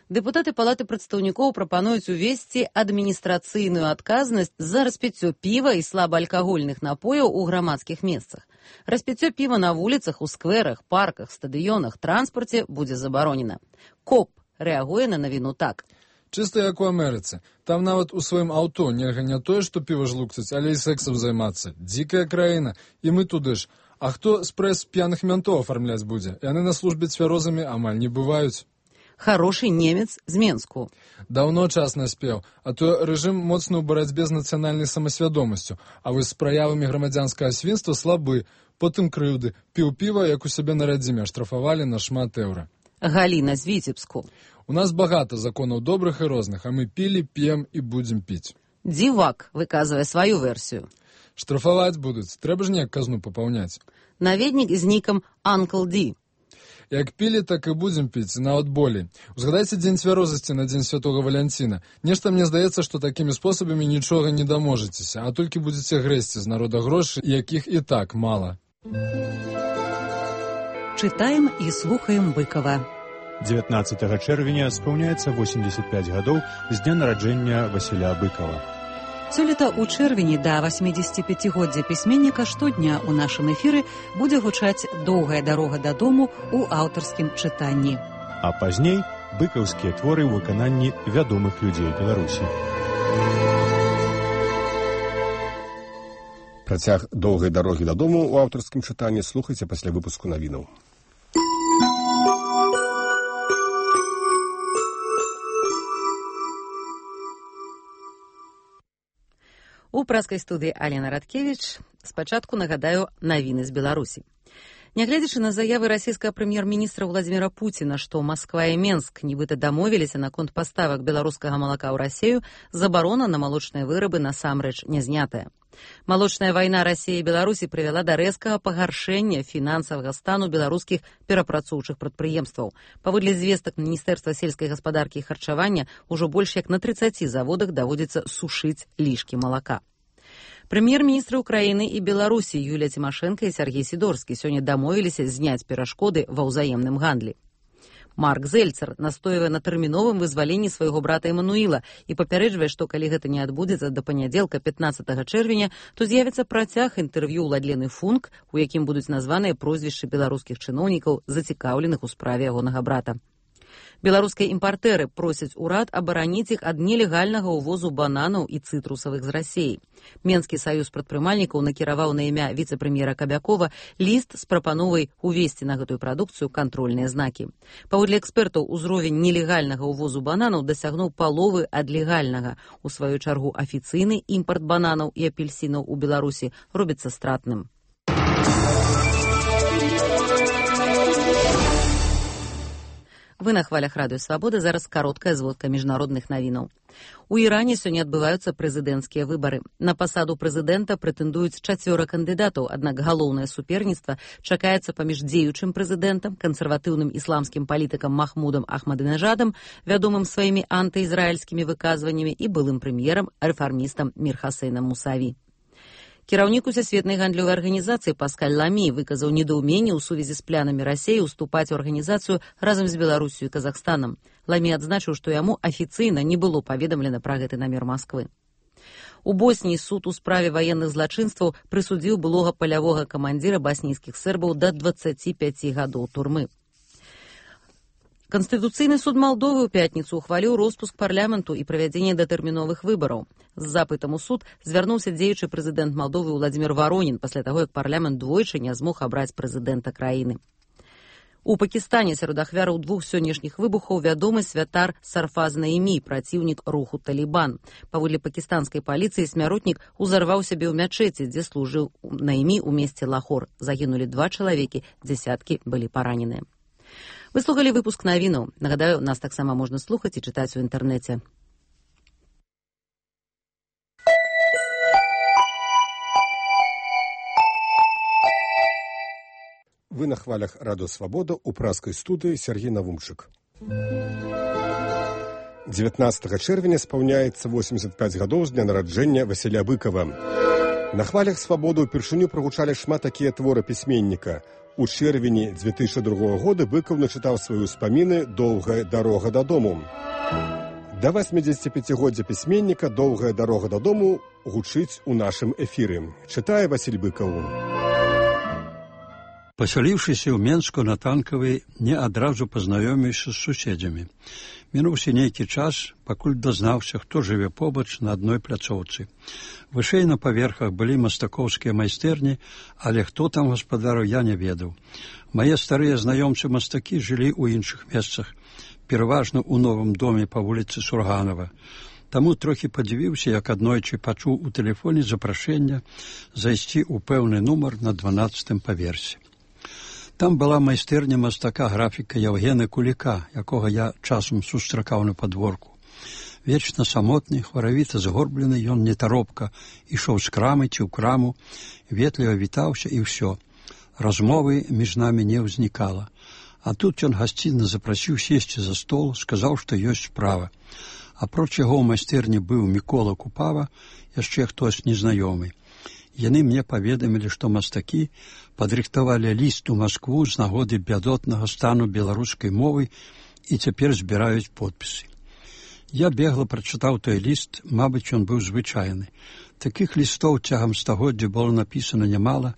Дэпутаты палаты прадстаўнікоў прапануюць увесці адміністрацыйную адказнасць за распіццё піва і слабаалкагольных напояў у грамадскіх месцах. Распіццё піва на вуліцах, у скверах, парках, стадыёнах, транспарце будзе забаронена. КОП рэагуе на навіну так. Чыста як у Амерыцы. Там нават у сваім аўто нельга не тое, што піва жлукцаць, але і сэксам займацца. Дзікая краіна, і мы туды ж. А хто спрэс п'яных мянтоў афармляць будзе? Яны на службе цвярозамі амаль не бываюць. Хороший немец з Менску. Даўно час наспеў, а то рэжым моцны ў барацьбе з нацыянальнай самасвядомасцю, а вось з праявамі грамадзянскага свінства слабы, потым крыўды, піў піва, як у сябе на радзіме, штрафавалі на шмат еўра. Галіна з Віцебску. У нас багата законаў добрых і розных, а мы пілі, п'ем і будзем піць. Дзівак выказвае сваю версію. Штрафаваць будуць, трэба ж неяк казну папаўняць. Наведнік з нікам Uncle D. Як пілі, так і будзем піць, нават болей. Узгадайце дзень цвярозасці на дзень святого Валянціна. Нешта мне здаецца, што такімі спосабамі нічога не даможецеся, а толькі будзеце грэсці з народа грошы, якіх і так мала. Читаем и слухаем Быкова. 19 чэрвеня спаўняецца 85 гадоў з дня нараджэння Васіля Быкова. Сёлета ў чэрвені да 85-годдзя пісьменніка штодня ў нашым эфіры будзе гучаць «Доўгая дарога дадому» ў аўтарскім чытанні. А пазней быкаўскія творы ў выкананні вядомых людзей Беларусі. Працяг «Доўгай дарогі дадому» ў аўтарскім чытанні слухайце пасля выпуску навінаў. У праскай студыі Алена Радкевіч спачатку нагадаю навіны з Беларусі. Нягледзячы на заявы расійскага прэм'ер-міністра Владзіміра Пуціна, што Масква і Менск нібыта дамовіліся наконт паставак беларускага малака ў Расію, забарона на малочныя вырабы насамрэч не знятая. Малочная вайна Расіі і Беларусі прывяла да рэзкага пагаршэння фінансавага стану беларускіх перапрацоўчых прадпрыемстваў. Паводле звестак Міністэрства сельскай гаспадаркі і харчавання, ужо больш як на 30 заводах даводзіцца сушыць лішкі малака. Прэм'ер-міністры Украіны і Беларусі Юлія Цімашэнка і Сяргей Сідорскі сёння дамовіліся зняць перашкоды ва ўзаемным гандлі. Марк Зельцер настойвае на тэрміновым вызваленні свайго брата Эмануіла і папярэджвае, што калі гэта не адбудзецца да панядзелка 15 чэрвеня, то з'явіцца працяг інтэрв'ю Ладлены Функ, у якім будуць названыя прозвішчы беларускіх чыноўнікаў, зацікаўленых у справе ягонага брата. Беларускія імпартэры просяць урад абараніць іх ад нелегальнага ўвозу бананаў і цытрусавых з Расіі. Менскі саюз прадпрымальнікаў накіраваў на імя віцэ-прэм'ера Кабякова ліст з прапановай увесці на гэтую прадукцыю кантрольныя знакі. Паводле экспертаў, узровень нелегальнага ўвозу бананаў дасягнуў паловы ад легальнага. У сваю чаргу афіцыйны імпарт бананаў і апельсінаў у Беларусі робіцца стратным. Вы на хвалях Радыё Свабода, зараз кароткая зводка міжнародных навінаў. У Іране сёння адбываюцца прэзідэнцкія выбары. На пасаду прэзідэнта прэтэндуюць 4 кандыдатаў, аднак галоўнае суперніцтва чакаецца паміж дзеючым прэзідэнтам, кансерватыўным ісламскім палітыкам Махмудам Ахмадынежадам, вядомым сваімі антыізраільскімі выказваннямі, і былым прэм'ерам, рэфармістам Мір Хасейнам Мусаві. Кіраўнік Усесветнай гандлёвай арганізацыі Паскаль Ламі выказаў недаўменне ў сувязі з планамі Расіі ўступаць у арганізацыю разам з Беларусю і Казахстанам. Ламі адзначыў, што яму афіцыйна не было паведамлена пра гэты намер Масквы. У Босніі суд у справе ваенных злачынстваў прысудзіў былога палявога камандзіра баснійскіх сербаў да 25 гадоў турмы. Канстытуцыйны суд Малдовы ў пятніцу ухваліў роспуск парламенту і правядзенне датэрміновых выбараў. З запытам у суд звярнуўся дзеючы прэзідэнт Малдовы Владзімір Варонін пасля таго, як парламент двойчы не змог абраць прэзідэнта краіны. У Пакістане сярод ахвяраў 2 сённяшніх выбухаў вядомы святар Сарфаз Наімі, праціўнік руху Талібан. Паводле пакістанскай паліцыі смяротнік узарваў сябе ў мячэці, дзе служыў Наімі ў месце Лахор. Загінулі 2 чалавекі, дзесяткі былі параненыя. Вы слухалі выпуск навінаў. Нагадаю, нас таксама можна слухаць і чытаць у інтэрнэце. Вы на хвалях Радыё Свабода ў праскай студыі Сергей Навумчык. 19 чэрвеня спаўняецца 85 гадоў з дня нараджэння Васіля Быкова. На хвалях Свабоды ўпершыню прагучалі шмат такія творы пісьменніка. У чэрвені 2002 года Быкаў начытаў свае ўспаміны «Доўгая дарога дадому». Да 85-годдзя пісьменніка «Доўгая дарога дадому» гучыць у нашым эфіры. Чытае Васіль Быкаў. Пасяліўшыся ў Менску на Танкавай, не адразу пазнаёміўся з суседзямі. Мінуўся нейкі час, пакуль дазнаўся, хто жыве побач на адной пляцоўцы. Вышэй на паверхах былі мастакоўскія майстэрні, але хто там гаспадару, я не ведаў. Мае старыя знаёмцы мастакі жылі ў іншых месцах, пераважна ў новым доме па вуліцы Сурганова. Таму трохі падзівіўся, як аднойчы пачуў у тэлефоне запрашэння зайсці ў пэўны нумар на 12-м паверсе. Там была майстэрня мастака графіка Яўгена Куліка, якога я часам сустракаў на падворку. Вечна самотны, хваравіта згорблены, ён нетаропка ішоў з крамы ці ў краму, ветліва вітаўся і ўсё. Размовы між намі не ўзнікала. А тут ён гасцінна запрасіў сесці за стол, сказаў, што ёсць справа. Апроч яго ў майстэрні быў Мікола Купава, яшчэ хтось незнаёмы. Яны мне паведамілі, што мастакі падрыхтавалі ліст у Маскву з нагоды бядотнага стану беларускай мовы і цяпер збіраюць подпісы. Я бегла прачытаў той ліст, мабыць, ён быў звычайны. Такіх лістоў цягам стагоддзя было напісана нямала,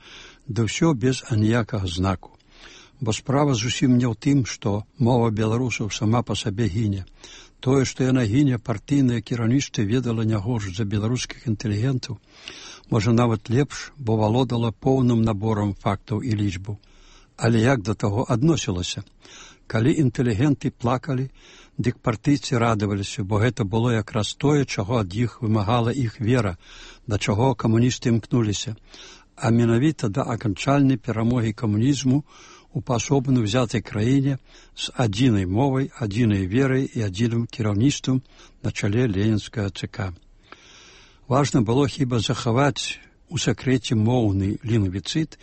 да ўсё без аніякага знаку. Бо справа зусім не ў тым, што мова беларусаў сама па сабе гіне. Тое, што яна гіне, партыйнае кіраўніцтва ведала не горш за беларускіх інтэлігентаў, можа нават лепш, бо валодала поўным наборам фактаў і лічбаў. Але як да таго адносілася? Калі інтэлігенты плакалі, дык партыйцы радаваліся, бо гэта было якраз тое, чаго ад іх вымагала іх вера, да чаго камуністы імкнуліся, а менавіта да аканчальнай перамогі камунізму у паасобна ўзятай краіне з адзінай мовай, адзінай верай і адзіным кіраўніцтвам на чале ленінскага ЦК. Важна было хіба захаваць у сакрэце моўны лінгвіцыт,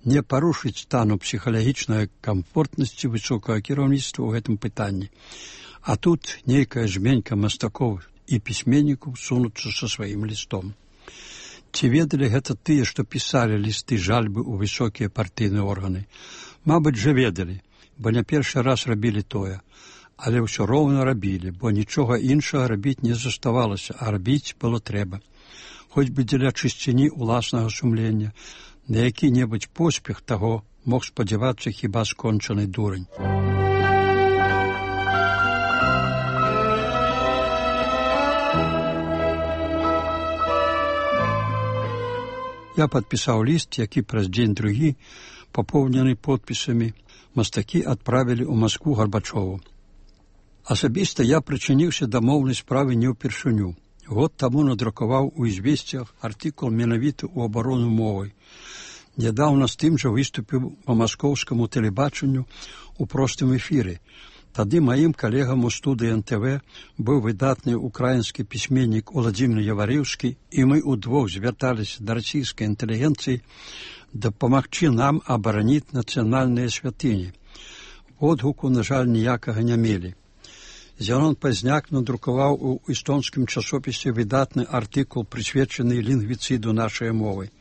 не парушыць стану псіхалагічнай камфортнасці высокага кіраўніцтва ў гэтым пытанні. А тут нейкая жменька мастакоў і пісьменнікаў сунуцца са сваім лістом. Ці ведалі гэта тыя, што пісалі лісты жальбы ў высокія партыйныя органы? Мабыць, жа ведалі, бо не першы раз рабілі тое. Але ўсё роўна рабілі, бо нічога іншага рабіць не заставалася, а рабіць было трэба. Хоць бы дзеля чысціні ўласнага сумлення, на які-небудзь поспех таго мог спадзявацца хіба скончаны дурань. Я падпісаў ліст, які праз дзень-другі, папоўнены подпісамі, мастакі адправілі ў Маскву Гарбачову. Асабіста я прычыніўся да моўнай справы не ўпершыню. Год таму надрукаваў у «Ізвесціях» артыкул менавіта ў абарону мовай. Нядаўна з тым жа выступіў па маскоўскаму тэлебачанню ў простым эфіры. Тады маім калегам у студыі НТВ быў выдатны украінскі пісьменнік Уладзімір Яварыўскі, і мы ўдвох звярталіся да расійскай інтэлігенцыі дапамагчы нам абараніць нацыянальныя святыні. Водгуку, на жаль, ніякага не мелі. Зянон Пазняк надрукаваў у эстонскім часопісе выдатны артыкул, прысвечаны лінгвіцыду нашай мовы.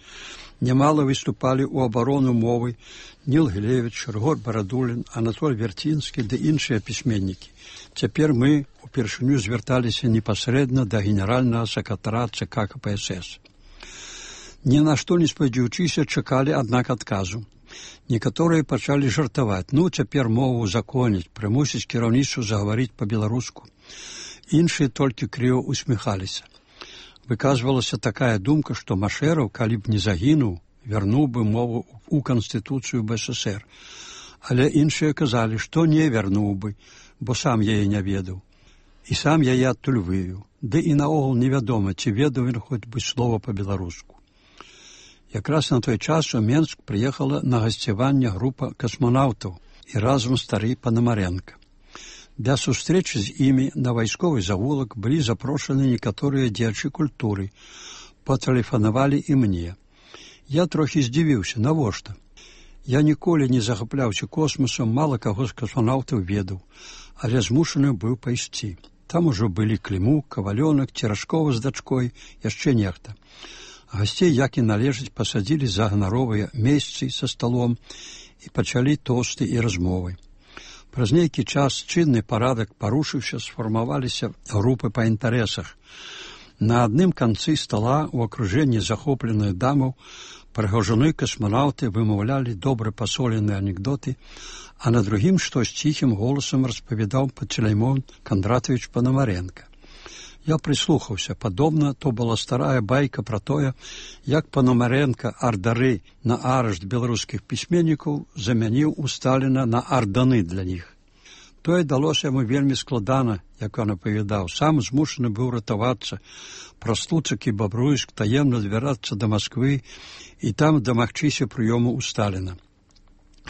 Немало выступалі ў абарону мовы Ніл Гілевіч, Рыгор Барадулін, Анатоль Вярцінскі ды іншыя пісьменнікі. Цяпер мы упершыню звярталіся непасрэдна да генеральнага сакратара ЦК КПСС. Ні на што не спадзяючыся чакалі, аднак, адказу. Некаторыя пачалі жартаваць. Цяпер мову узаконіць, прымусіць кіраўніцтва загаварыць па-беларуску. Іншыя толькі крыва усміхаліся. Выказвалася такая думка, што Машэраў, калі б не загінуў, вярнуў бы мову ў Канстытуцыю БССР. Але іншыя казалі, што не вярнуў бы, бо сам яе не ведаў. І сам яе адтуль вывеў. Ды і наогул невядома, ці ведаў ён хоць бы слова па-беларуску. Якраз на той час у Менск прыехала на гасцяванне група касманаўтаў і разам стары Панамаренка. Для сустрэчы з імі на вайсковы завулак былі запрошаны некаторыя дзеячы культуры. Патэлефанавалі і мне. Я трохі здзівіўся, навошта? Я ніколі не захапляўся космосам, мала каго з касманаўтаў ведаў, але змушаны быў пайсці. Там ужо былі Клімук, Кавалёнак, Церашкова з дачкой, яшчэ нехта. Гасцей, як і належыць, пасадзілі за ганаровыя месцы са сталом і пачалі тосты і размовы. Праз нейкі час чынны парадак парушыўся, сфармаваліся групы па інтарэсах. На адным канцы стала ў акружэнні захопленых дамаў прыгожаны касманаўты вымаўлялі добра пасоленыя анекдоты, а на другім штось ціхім голасам распавядаў Пантелеймон Кондратович Панамаренка. Я прыслухаўся. Падобна, то была старая байка пра тое, як Панамаренка ардары на арышт беларускіх пісьменнікаў замяніў у Сталіна на арданы для іх. Тое далося яму вельмі складана, як ён апавядаў. Сам змушаны быў ратавацца, праз Луцак і Бабруйск таемна збірацца да Масквы і там дамагчыся прыёму ў Сталіна.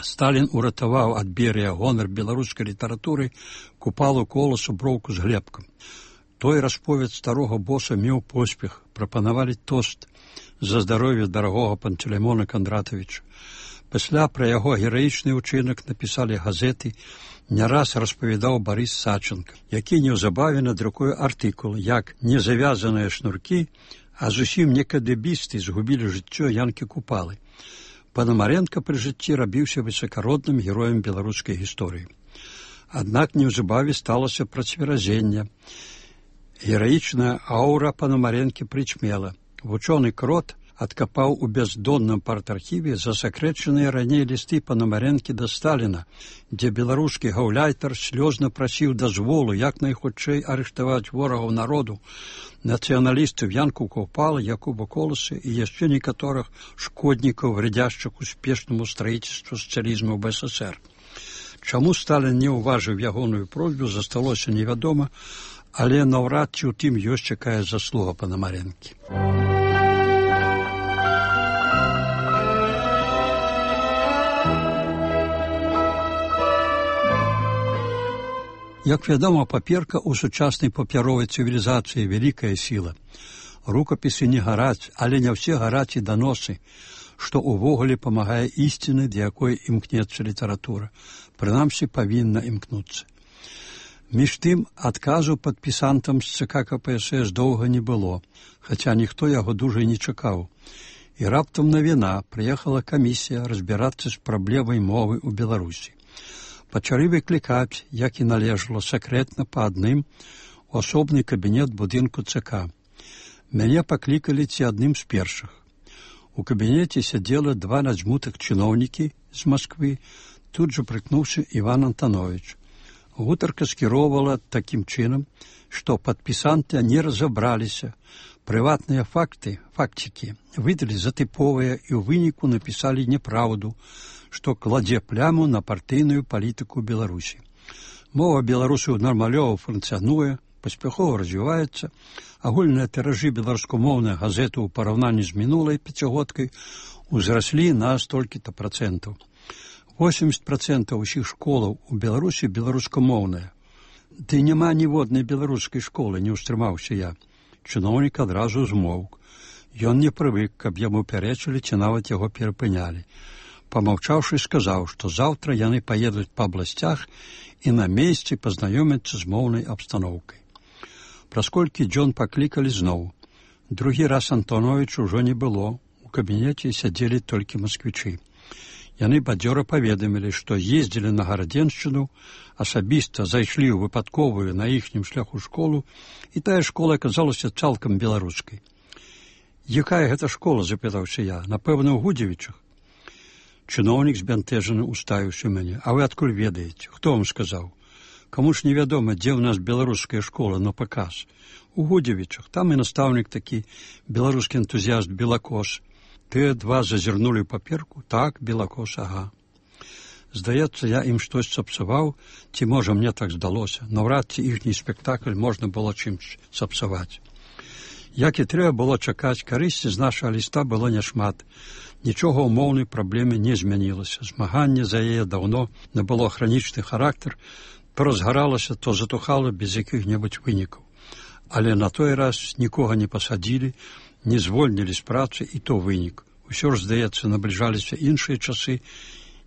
Сталін уратаваў ад Берыя гонар беларускай літаратуры, Купалу, Коласу, Броўку з Глебкам. Той расповед старога боса меў поспех, прапанавалі тост за здароўе дарагога Пантелеймона Кондратовича. Пасля пра яго гераічны ўчынак напісалі газеты, не раз распавядаў Барыс Саченко, які неўзабаве надрукуе артыкул, як незавязаныя шнуркі, а зусім не кадэбісты згубілі жыццё Янкі Купалы. Панамаренка пры жыцці рабіўся высакародным героем беларускай гісторыі. Аднак неўзабаве сталася працверазенне. Гераічная аўра Панамаренкі прычмела. Вучоны Крот адкапаў у бяздонным партархіве засакрэчаныя раней лісты Панамаренкі да Сталіна, дзе беларускі гаўляйтар слёзна прасіў дазволу як найхутчэй арыштаваць ворагаў народу, нацыяналістаў Янку Купалы, Якуба Коласа і яшчэ некаторых шкоднікаў, вредяшчых успешнаму строительству сацыялізму ў БССР. Чаму Сталін не ўважыў ягоную просьбу, засталося невядома, але наўрад ці ў тым ёсць якая заслуга Панамаренкі. Як вядома, паперка ў сучаснай папяровай цывілізацыі вялікая сіла. Рукапісы не гараць, але не ўсе гараць і даносы, што ўвогуле памагае ісціны, да якой імкнецца літаратура. Прынамсі, павінна імкнуцца. Між тым, адказу падпісантам з ЦК КПСС доўга не было, хаця ніхто яго дужа не чакаў. І раптам навіна, прыехала камісія разбірацца з праблемай мовы ў Беларусі. Пачалі выклікаць, як і належало, сакрэтна па адным у асобны кабінет будынку ЦК. Мяне паклікалі ці адным з першых. У кабінеце сядзела два надзьмутых чыноўнікі з Масквы, тут жа прыкнуўся Іван Антанович. Гутарка скіроўвала такім чынам, што падпісанты не разабраліся. Прыватныя фактікі выдалі за тыповыя і ў выніку напісалі няпраўду, што кладзе пляму на партыйную палітыку Беларусі. Мова беларусаў нармалёва функцыянуе, паспяхова развіваецца, агульныя тыражы беларускамоўных газет у параўнанні з мінулай пяцігодкай узраслі на столькі-то процентаў. 80% усіх школаў у Беларусі беларускамоўныя. Ды няма ніводнай беларускай школы, не ўстрымаўся я. Чыноўнік адразу змоўк. Ён не прывык, каб яму пярэчылі ці нават яго перапынялі. Памаўчаўшы, сказаў, што заўтра яны паедуць па абласцях і на месцы пазнаёмяцца з моўнай абстаноўкай. Праз колькі дзён паклікалі зноў. Другі раз Антонович ужо не было. У кабінеце сядзелі толькі масквічы. Яны бадзёра паведамілі, што ездзілі на Гарадзеншчыну, асабіста зайшлі ў выпадковую на іхнім шляху школу, і тая школа аказалася цалкам беларускай. «Якая гэта школа?» – запытаўся я. «Напэўна, ў Гудзевічах». Чыноўнік збянтэжаны уставіўся мяне. «А вы адкуль ведаеце? Хто вам сказаў? Каму ж невядома, дзе ў нас беларуская школа на паказ? У Гудзевічах. Там і настаўнік такі, беларускі энтузіяст Белакос. Тыя два зазірнулі ў паперку. Так, Белакос, ага. Здаецца, я ім штось сапсаваў, ці, можа, мне так здалося. Наўрад ці іхні спектакль можна было чымсь сапсаваць. Як і трэба было чакаць, карысці з нашага ліста было няшмат. Нічога ў моўнай праблеме не змянілася. Змаганне за яе даўно набыло хранічны характар, то разгаралася, то затухала без якіх-небудзь вынікаў. Але на той раз нікога не пасадзілі, не звольнілі з працы, і то вынік. Усё ж, здаецца, набліжаліся іншыя часы,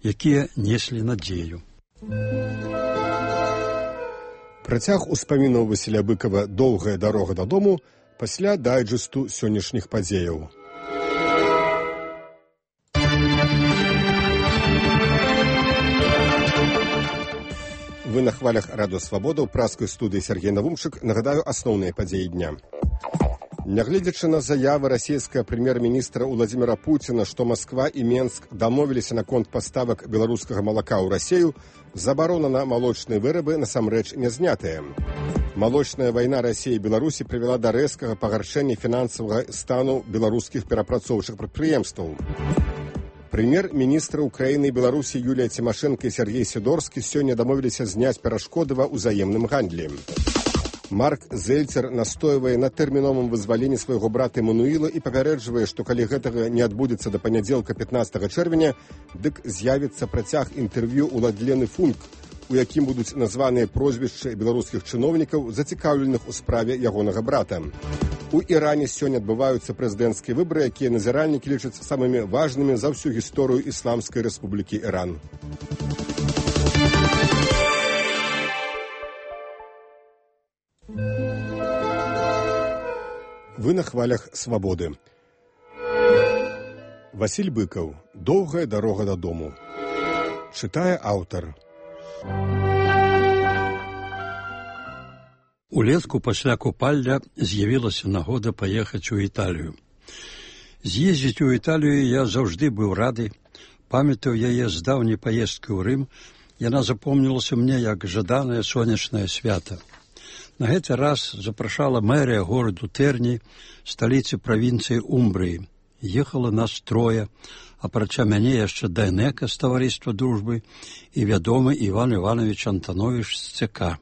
якія неслі надзею. Працяг успамінаў Васіля Быкава «Доўгая дарога дадому» пасля дайджэсту сённяшніх падзеяў. Вы на хвалях Радыё Свабода, ў праскай студыі Сергей Навумчык. Нагадаю асноўныя падзеі дня. Нягледзячы на заявы расійскага прэм'ер-міністра Владзіміра Пуціна, што Масква і Менск дамовіліся наконт паставак беларускага малака ў Расею, забарона на малочныя вырабы насамрэч не знятая. Малочная вайна Расіі і Беларусі прывяла да рэзкага пагаршэння фінансавага стану беларускіх перапрацоўчых прадпрыемстваў. Прэм'ер-міністры Украіны і Беларусі Юлія Цімашэнка і Сергей Сідорскі сёння дамовіліся зняць перашкоды ва ўзаемным гандлі. Марк Зельцер настойвае на тэрміновым вызваленні свайго брата Эмануіла і папярэджвае, што калі гэтага не адбудзецца да панядзелка 15 чэрвеня, дык з'явіцца працяг інтэрв'ю ў Ладлены Функ, у якім будуць названыя прозвішчы беларускіх чыноўнікаў, зацікаўленых у справе ягонага брата. У Іране сёння адбываюцца прэзідэнцкія выбары, якія назіральнікі лічаць самымі важнымі за ўсю гісторыю Ісламскай Рэспублікі Іран. Вы на хвалях свабоды. Васіль Быкаў. Доўгая дарога дадому. Чытае аўтар. Улетку пасля купальня з'явілася нагода паехаць у Італію. З'ездзіць у Італію я заўжды быў рады. Памятаю яе з даўняй паездкі ў Рым. Яна запомнілася мне як жаданае сонечнае свята. На гэты раз запрашала мэрія гораду Тэрні, сталіцы правінцыі Умбрыі. Ехала нас трое, апрача мяне яшчэ Дайнека з таварыства дружбы і вядомы Іван Іванович Антанович з ЦК.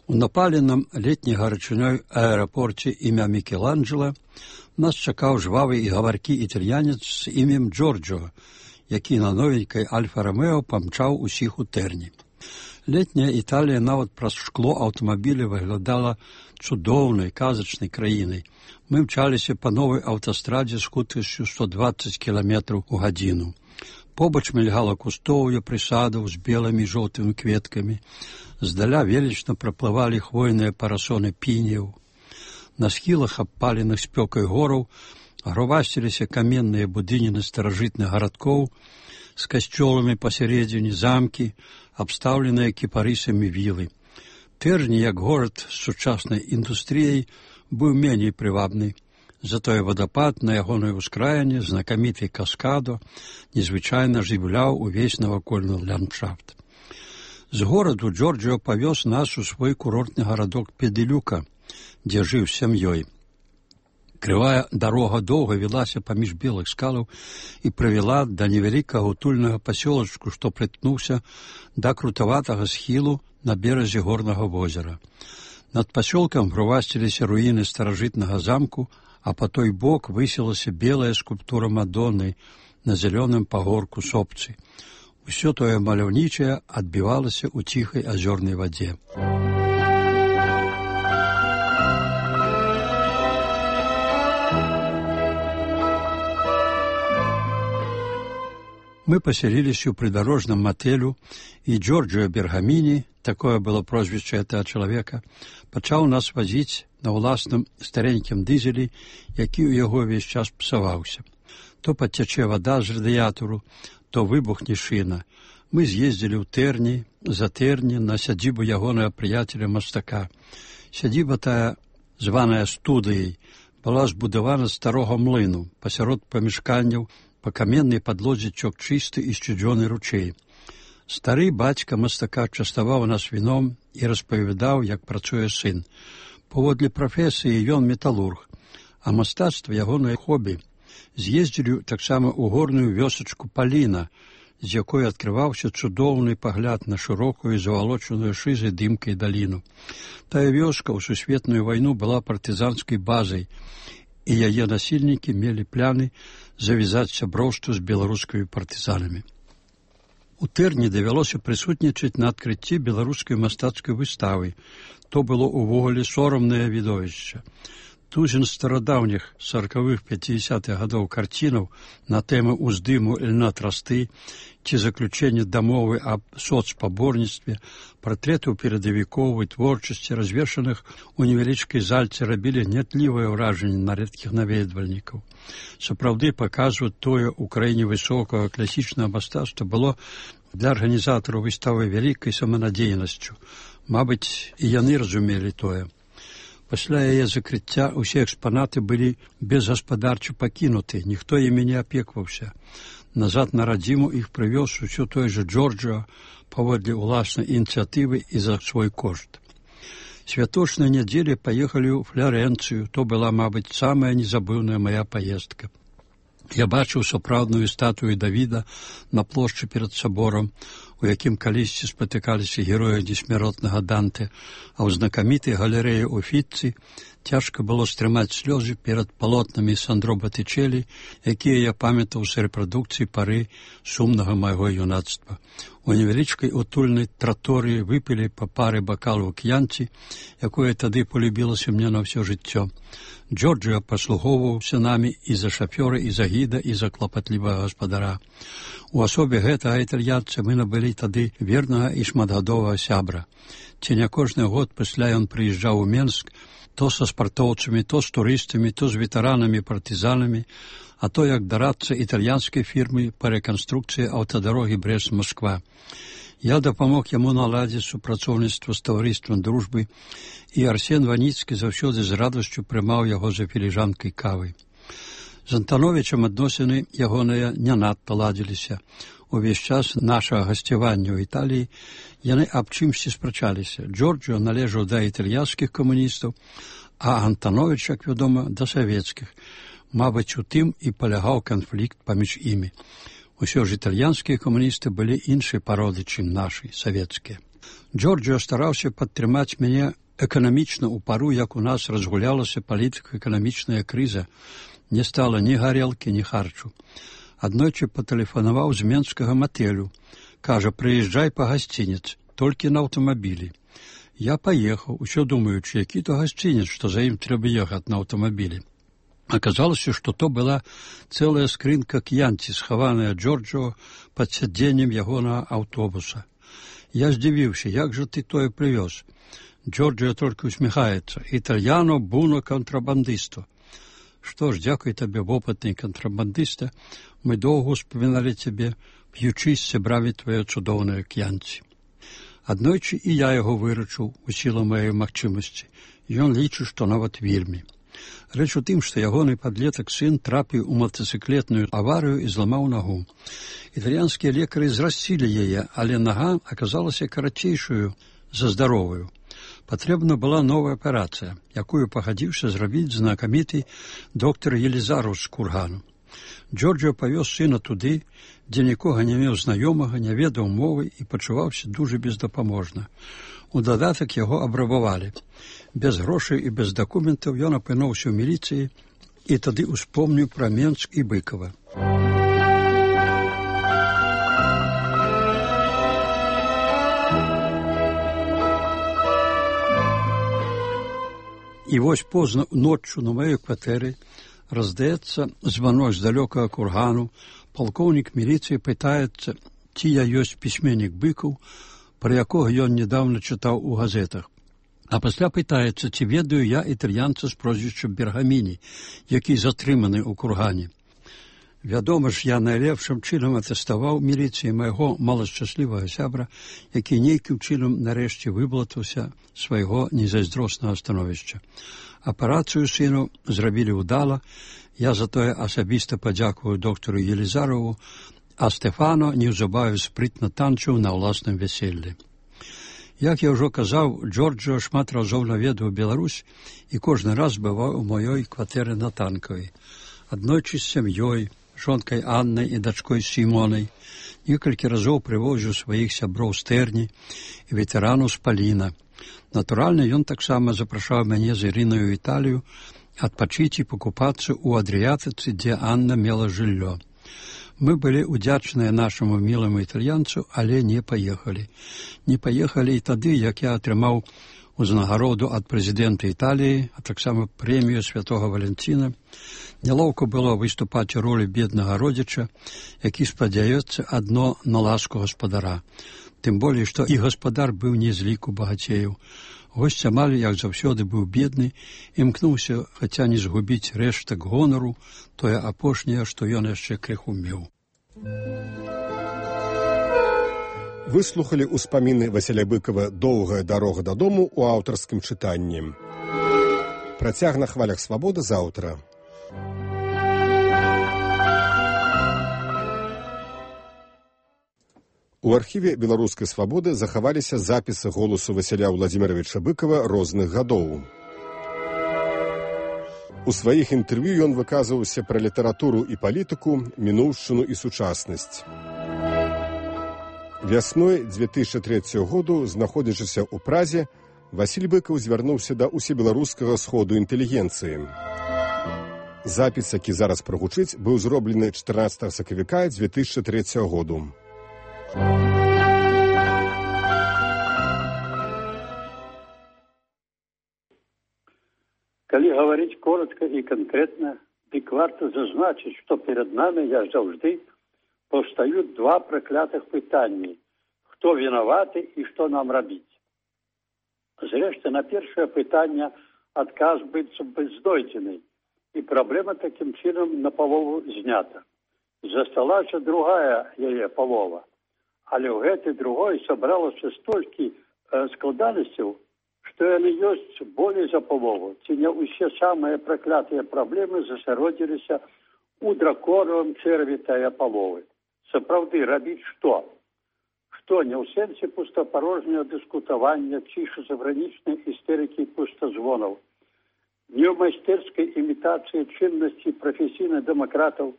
У напаленым летняй гарачынёй аэрапорце імя Мікеланджела нас чакаў жвавы і гаваркі італьянец з імем Джорджо, які на новенькай Альфа-Ромео памчаў усіх у Тэрні. Летняя Італія нават праз шкло аўтамабіля выглядала цудоўнай, казачнай краінай. Мы мчаліся па новай аўтастрадзе з хуткасцю 120 км у гадзіну. Побач мільгала кустоўе прысадаў з белымі і жоўтымі кветкамі. Здаля велічна праплывалі хвойныя парасоны піняў. На схілах абпаленых спёкай гораў грувасціліся каменныя будыніны старажытных гарадкоў з касцёламі пасярэдзіне, замкі, абстаўленыя кіпарысамі вілы. Тэрні, як горад з сучаснай індустрыяй, быў меней прывабны. Затое вадапад на ягонай ускраіне, знакаміты каскадо, незвычайна жывляў увесь навакольны ландшафт. З гораду Джорджио павёз нас у свой курортны гарадок Педылюка, дзе жыў з сям'ёй. Крывая дарога доўга вілася паміж белых скалаў і прывяла да невялікага утульнага пасёлачку, што прытнуўся да крутаватага схілу на беразе горнага возера. Над пасёлкам грувасціліся руіны старажытнага замку, а па той бок высілася белая скульптура Мадонны на зялёным пагорку сопцы. Усё тое маляўнічае адбівалася ў ціхай азёрнай вадзе. Мы паселіліся ў прыдарожным матэлю, і Джорджио Бергаміні, такое было прозвішча гэтага чалавека, пачаў нас вазіць на ўласным старенькім дызелі, які ў яго ўвесь час псаваўся. То падцячэ вада з радыятару, то выбухне шына. Мы з'ездзілі ў Тэрні, за Тэрні, на сядзібу ягонага прыяцеля мастака. Сядзіба тая, званая студыяй, была збудавана з старога млыну, пасярод памяшканняў, па каменнай падлозе цёк чысты і сцюдзёны ручэй. Стары бацька мастака частаваў нас віном і распавядаў, як працуе сын. Паводле прафесіі ён металург, а мастацтва ягонае хобі. З'ездзілі таксама ў горную вёсачку Паліна, з якой адкрываўся цудоўны пагляд на шырокую завалочаную шызай дымкай даліну. Тая вёска ў сусветную вайну была партызанскай базай, і яе насельнікі мелі пляны завязаць сяброўства з беларускімі партызанамі. У Тэрні давялося прысутнічаць на адкрыцці беларускай мастацкай выставы. То было ўвогуле сорамнае відовішча. Тузін старадаўніх 40-х, 50-х гадоў карцінаў на тэмы ўздыму льна трасты ці заключэння дамовы аб соцпаборніцтве, партрэтаў перадавікоў і творчасці, развешаных у невялічкай зальцы, рабілі гнятлівае ўражанне на рэдкіх наведвальнікаў. Сапраўды паказваць тое ў краіне высокага класічнага мастацтва было для арганізатараў выставы вялікай саманадзейнасцю. Мабыць, і яны разумелі тое. Пасля яе закрыцця ўсе экспанаты былі безгаспадарча пакінуты, ніхто імі не апекваўся. Назад на радзіму іх прывёз усё той жа Джорджио паводле ўласнай ініцыятывы і за свой кошт. Святочнай нядзелі паехалі ў Флорэнцыю, то была, мабыць, самая незабыўная мая паездка. Я бачыў сапраўдную статую Давіда на плошчы перад саборам, у якім калісьці спатыкаліся героі несмяротнага Данте, а ў знакамітай галерэі Уфіцці Цяжка было стрымаць слёзы перад палотнамі Сандро Батычэлі, якія я памятаў з рэпрадукцыі пары сумнага майго юнацтва. У невялічкай утульнай траторыі выпілі па пары бакалу к'янці, якое тады полюбілася мне на ўсё жыццё. Джорджио паслугоўваўся намі і за шафёра, і за гіда, і за клапатлівага гаспадара. У асобе гэтага італьянца мы набылі тады вернага і шматгадовага сябра. Ці не кожны год пасля ён прыязджаў у Менск, то са спартоўцамі, то з турыстамі, то з ветэранамі-партызанамі, а то як дарадца італьянскай фірмы па рэканструкцыі аўтадарогі Брэст-Масква. Я дапамог яму наладзіць супрацоўніцтва з таварыствам дружбы, і Арсен Ваніцкі заўсёды з радасцю прымаў яго за філіжанкай кавы. З Антановічам адносіны ягоныя не надта ладзіліся. Увесь час нашага гасцявання ў Італіі яны аб чымсьці спрачаліся. Джорджио належаў да італьянскіх камуністаў, а Антановіч, як вядома, да савецкіх. Мабыць, у тым і палягаў канфлікт паміж імі. Усё ж італьянскія камуністы былі іншай пароды, чым нашы, савецкія. Джорджио стараўся падтрымаць мяне эканамічна ў пару, як у нас разгулялася палітыка-эканамічная крыза. Не стала ні гарэлкі, ні харчу. Аднойчы патэлефанаваў з менскага матэлю. Кажа, прыязджай па гасцінец, толькі на аўтамабілі. Я паехаў, усё думаючы, які то гасцінец, што за ім трэба ехаць на аўтамабілі. Аказалася, што то была цэлая скрынка к'янці, схаваная Джорджио пад сядзеннем ягонага аўтобуса. Я здзівіўся, як жа ты тое прывёз? Джорджио толькі усміхаецца. Італьяно буно контрабандисто. Што ж, дзякуй табе, вопытны контрабандыста, мы доўга успаміналі цябе, п'ючы з сябрамі твае цудоўныя к'янці. Аднойчы і я яго вырачыў у сілу маёй магчымасці. Ён лічыць, што нават вельмі. Рэч у тым, што ягоны падлетак сын трапіў у матацыклетную аварыю і зламаў нагу. Італьянскія лекары зрасцілі яе, але нага аказалася карацейшую за здаровую. Патрэбна была новая аперацыя, якую пагадзіўся зрабіць знакаміты доктар Елізару з Кургану. Джорджио павёз сына туды, дзе нікога не меў знаёмага, не ведаў мовы і пачуваўся дужа бездапаможна. У дадатак яго абрабавалі. Без грошай і без дакументаў ён апынуўся ў міліцыі і тады успомніў пра Менск і Быкова. І вось позна ноччу на маёй кватэры раздаецца званок з далёкага Кургану. Палкоўнік міліцыі пытаецца, ці я ёсць пісьменнік Быкаў, пра якога ён нядаўна чытаў у газетах. А пасля пытаецца, ці ведаю я італьянца з прозвішчам Бергаміні, які затрыманы ў Кургане. Вядома ж, я найлепшым чынам атэставаў міліцыі майго малашчаслівага сябра, які нейкім чынам нарэшце выблатаўся свайго незайздроснага становішча. Аперацыю сыну зрабілі ўдала, я затое асабіста падзякую доктару Елізарову, а Стефано неўзабаве спрытна танчыў на ўласным вяселлі. Як я ўжо казаў, Джорджио шмат разоў наведаў Беларусь і кожны раз бываў у маёй кватэры на Танкавай. Аднойчы з сям'ёй, жонкай Аннай і дачкой Сімонай, некалькі разоў прывозіў сваіх сяброў з Тэрні і ветэранаў з Паліна. Натуральна, ён таксама запрашаў мяне з Ірынай у Італію адпачыць і пакупацца ў Адрыятыцы, дзе Анна мела жыллё. Мы былі удзячныя нашаму міламу італьянцу, але не паехалі. Не паехалі і тады, як я атрымаў узнагароду ад прэзідэнта Італіі, а таксама прэмію святога Валентина. Нялоўка было выступаць у ролі беднага родзіча, які спадзяецца адно на ласку гаспадара. Тым болей, што і гаспадар быў не з ліку багацеяў. Госць амаль, як заўсёды, быў бедны, імкнуўся, хаця не згубіць рэштак гонару, тое апошняе, што ён яшчэ крыху меў. Выслухалі ўспаміны Васіля Быкова «Доўгая дарога дадому» у аўтарскім чытанні. Працяг на хвалях свабоды заўтра. У архіве беларускай свабоды захаваліся запісы голасу Васіля Владзіміровича Быкова розных гадоў. У сваіх інтэрв'ю ён выказваўся пра літаратуру і палітыку, мінуўшчыну і сучаснасць. Вясной 2003 году, знаходзячыся ў Празе, Васіль Быкаў звярнуўся да усебеларускага сходу інтэлігенцыі. Запіс, які зараз прагучыць, быў зроблены 14 сакавіка 2003 году. Калі гаварыць коротко і канкрэтна, дык варта зазначыць, што перад намі, як заўжды, паўстаюць два праклятых пытанні: хто вінаваты і што нам рабіць? Зрэшты, на першае пытанне адказ быццам бы знойдзены, і праблема такім чынам напалову знята. Засталася другая яе палова, але ў гэтай другой сабралася столькі складанасцяў, што яны ёсць болей за палову, ці не ўсе самыя праклятыя праблемы засяродзіліся ў драконавым чэрві тая паловы. Сапраўды, рабіць што? Што не ў сэнсе пустапарожняга дыскутавання ці шизафрэнічнай істэрыкі пустазвонаў, не ў майстэрскай імітацыі чыннасці прафесійных дэмакратаў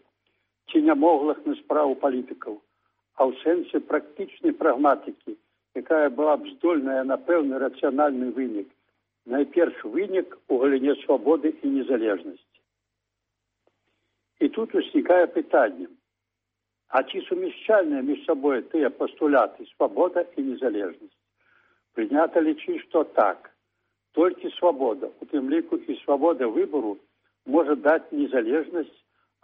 ці нямоглых на справу палітыкаў, а ў сэнсе практычнай прагматыкі, якая была б здольная на пэўны рацыянальны вынік. Найперш вынік у галіне свабоды і незалежнасці. І тут узнікае пытанне: а ці сумяшчальныя між сабой тыя пастуляты свабода і незалежнасць? Прынята лічыць, што так. Толькі свабода, у тым ліку і свабода выбару, можа даць незалежнасць,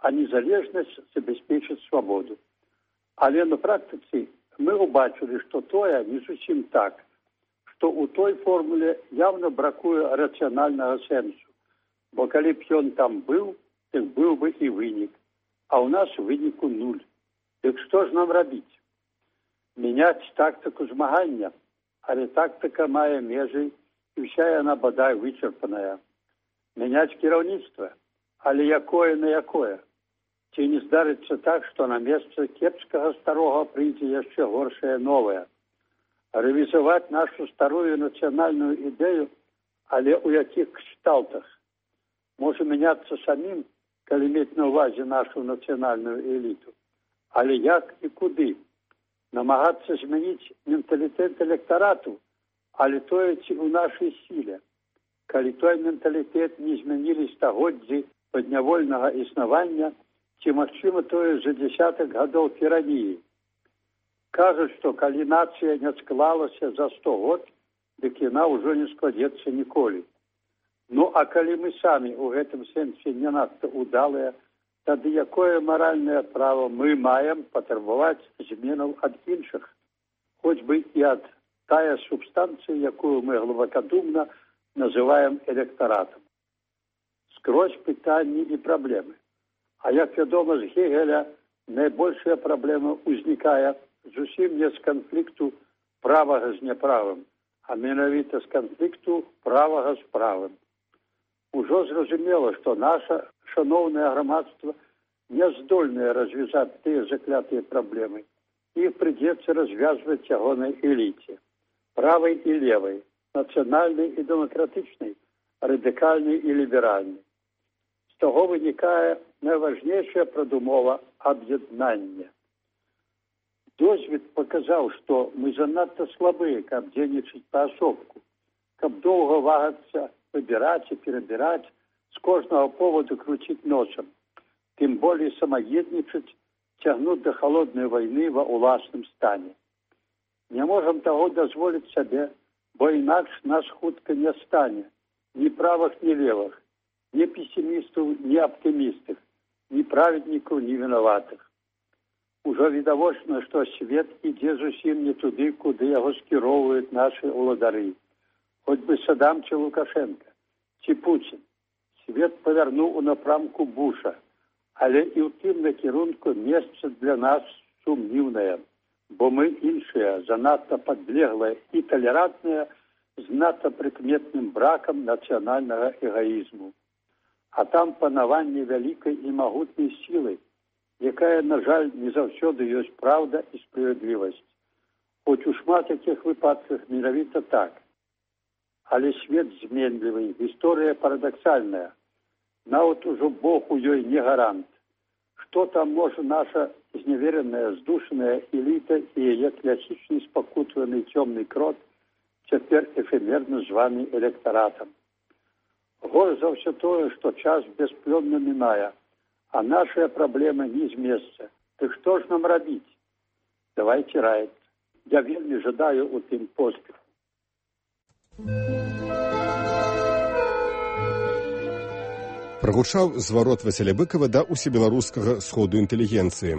а незалежнасць забяспечыць свабоду. Але на практыцы мы убачылі, што тое не зусім так, што ў той формуле явна бракуе рацыянальнага сэнсу, бо калі б ён там быў, так быў бы і вынік, а ў нас выніку нуль. Дык што ж нам рабіць? Мяняць тактыку змагання, але тактыка мае межы, і ўся яна бадай вычарпаная. Мяняць кіраўніцтва, але якое на якое? Ці не здарыцца так, што на месца кепскага старога прыйдзе яшчэ горшае новае? Рэвізаваць нашу старую нацыянальную ідэю, але ў якіх кшталтах? Можа мяняцца самім, калі мець на ўвазе нашу нацыянальную эліту. Але як і куды? Намагацца змяніць менталітэт электарату, але тое ці ў нашай сіле. Калі той менталітэт не змянілі стагоддзі паднявольнага існавання, ці магчыма тое за дзясятак гадоў тыраніі. Кажуць, што калі нацыя не склалася за 100 год, дык яна ўжо не складзецца ніколі. Ну, а калі мы самі ў гэтым сэнсе не надта ўдалыя, тады якое маральнае права мы маем патрабаваць зменаў ад іншых, хоць бы і ад тая субстанцыя, якую мы глыбакадумна называем электаратам. Скрозь пытанні і праблемы. А як вядома, з Гегеля найбольшая праблема ўзнікае зусім не з канфлікту правага з няправым, а менавіта з канфлікту правага з правым. Ужо зразумела, што наша шаноўнае грамадства не здольнае развязаць тыя заклятыя праблемы. Іх прыйдзецца развязваць ягонай эліце, правай і левай, нацыянальнай і дэмакратычнай, радыкальнай і ліберальнай. З таго вынікае найважнейшая прадумова аб'яднання. Досвед паказаў, што мы занадта слабыя, каб дзейнічаць паасобку, каб доўга вагацца, выбіраць і перабіраць, з кожнага поводу круціць носам, тым болей самаеднічаць, цягнуць да халоднай вайны ва ўласным стане. Не можам таго дазволіць сабе, бо інакш нас хутка не стане ні правых, ні левых, ні песімістаў, ні аптымістых, ні праведнікаў, ні вінаватых. Ужо відавочна, што свет ідзе зусім не туды, куды яго скіроўваюць нашы ўладары. Хоць бы Садам ці Лукашенка, ці Пуцін. Свет павярнуў у напрамку Буша, але і ў тым накірунку месца для нас сумнівнае, бо мы іншыя, занадта падлеглыя і талерантныя, з надта прыкметным бракам нацыянальнага эгаізму. А там панаванне вялікай і магутнай сілы, якая, на жаль, не заўсёды ёсць праўда і справядлівасць. Хоць у шмат якіх выпадках менавіта так. Але свет зменлівы, гісторыя парадаксальная. Нават ужо Бог у ёй не гарант. Што там можа наша зневераная, здушаная эліта і яе класічны спакутваны цёмны крот цяпер эфемерна званы электаратам. Горш за ўсё тое, што час бясплённа мінае, а нашыя праблемы не з месца. Ты што ж нам рабіць? Давайте раіць. Я вельмі жадаю у тым поспеху. Прагучаў зварот Васіля Быкава да усебеларускага сходу інтэлігенцыі.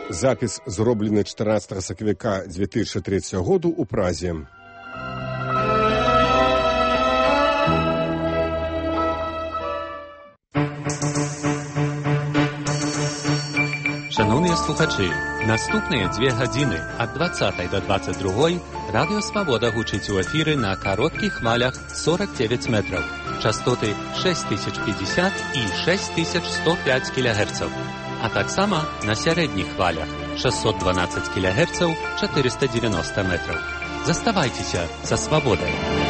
Запіс зроблены 14 сакавіка 2003 году ў Празе. Шановныя слухачы, наступныя 2 гадзіны ад 20 до 22 Радыё Свабода гучыць у эфіры на кароткіх хвалях 49 метраў, частоты 6050 і 6105 кГц, а таксама на сярэдніх хвалях 612 кГц 490 метраў. Заставайцеся са Свабодай.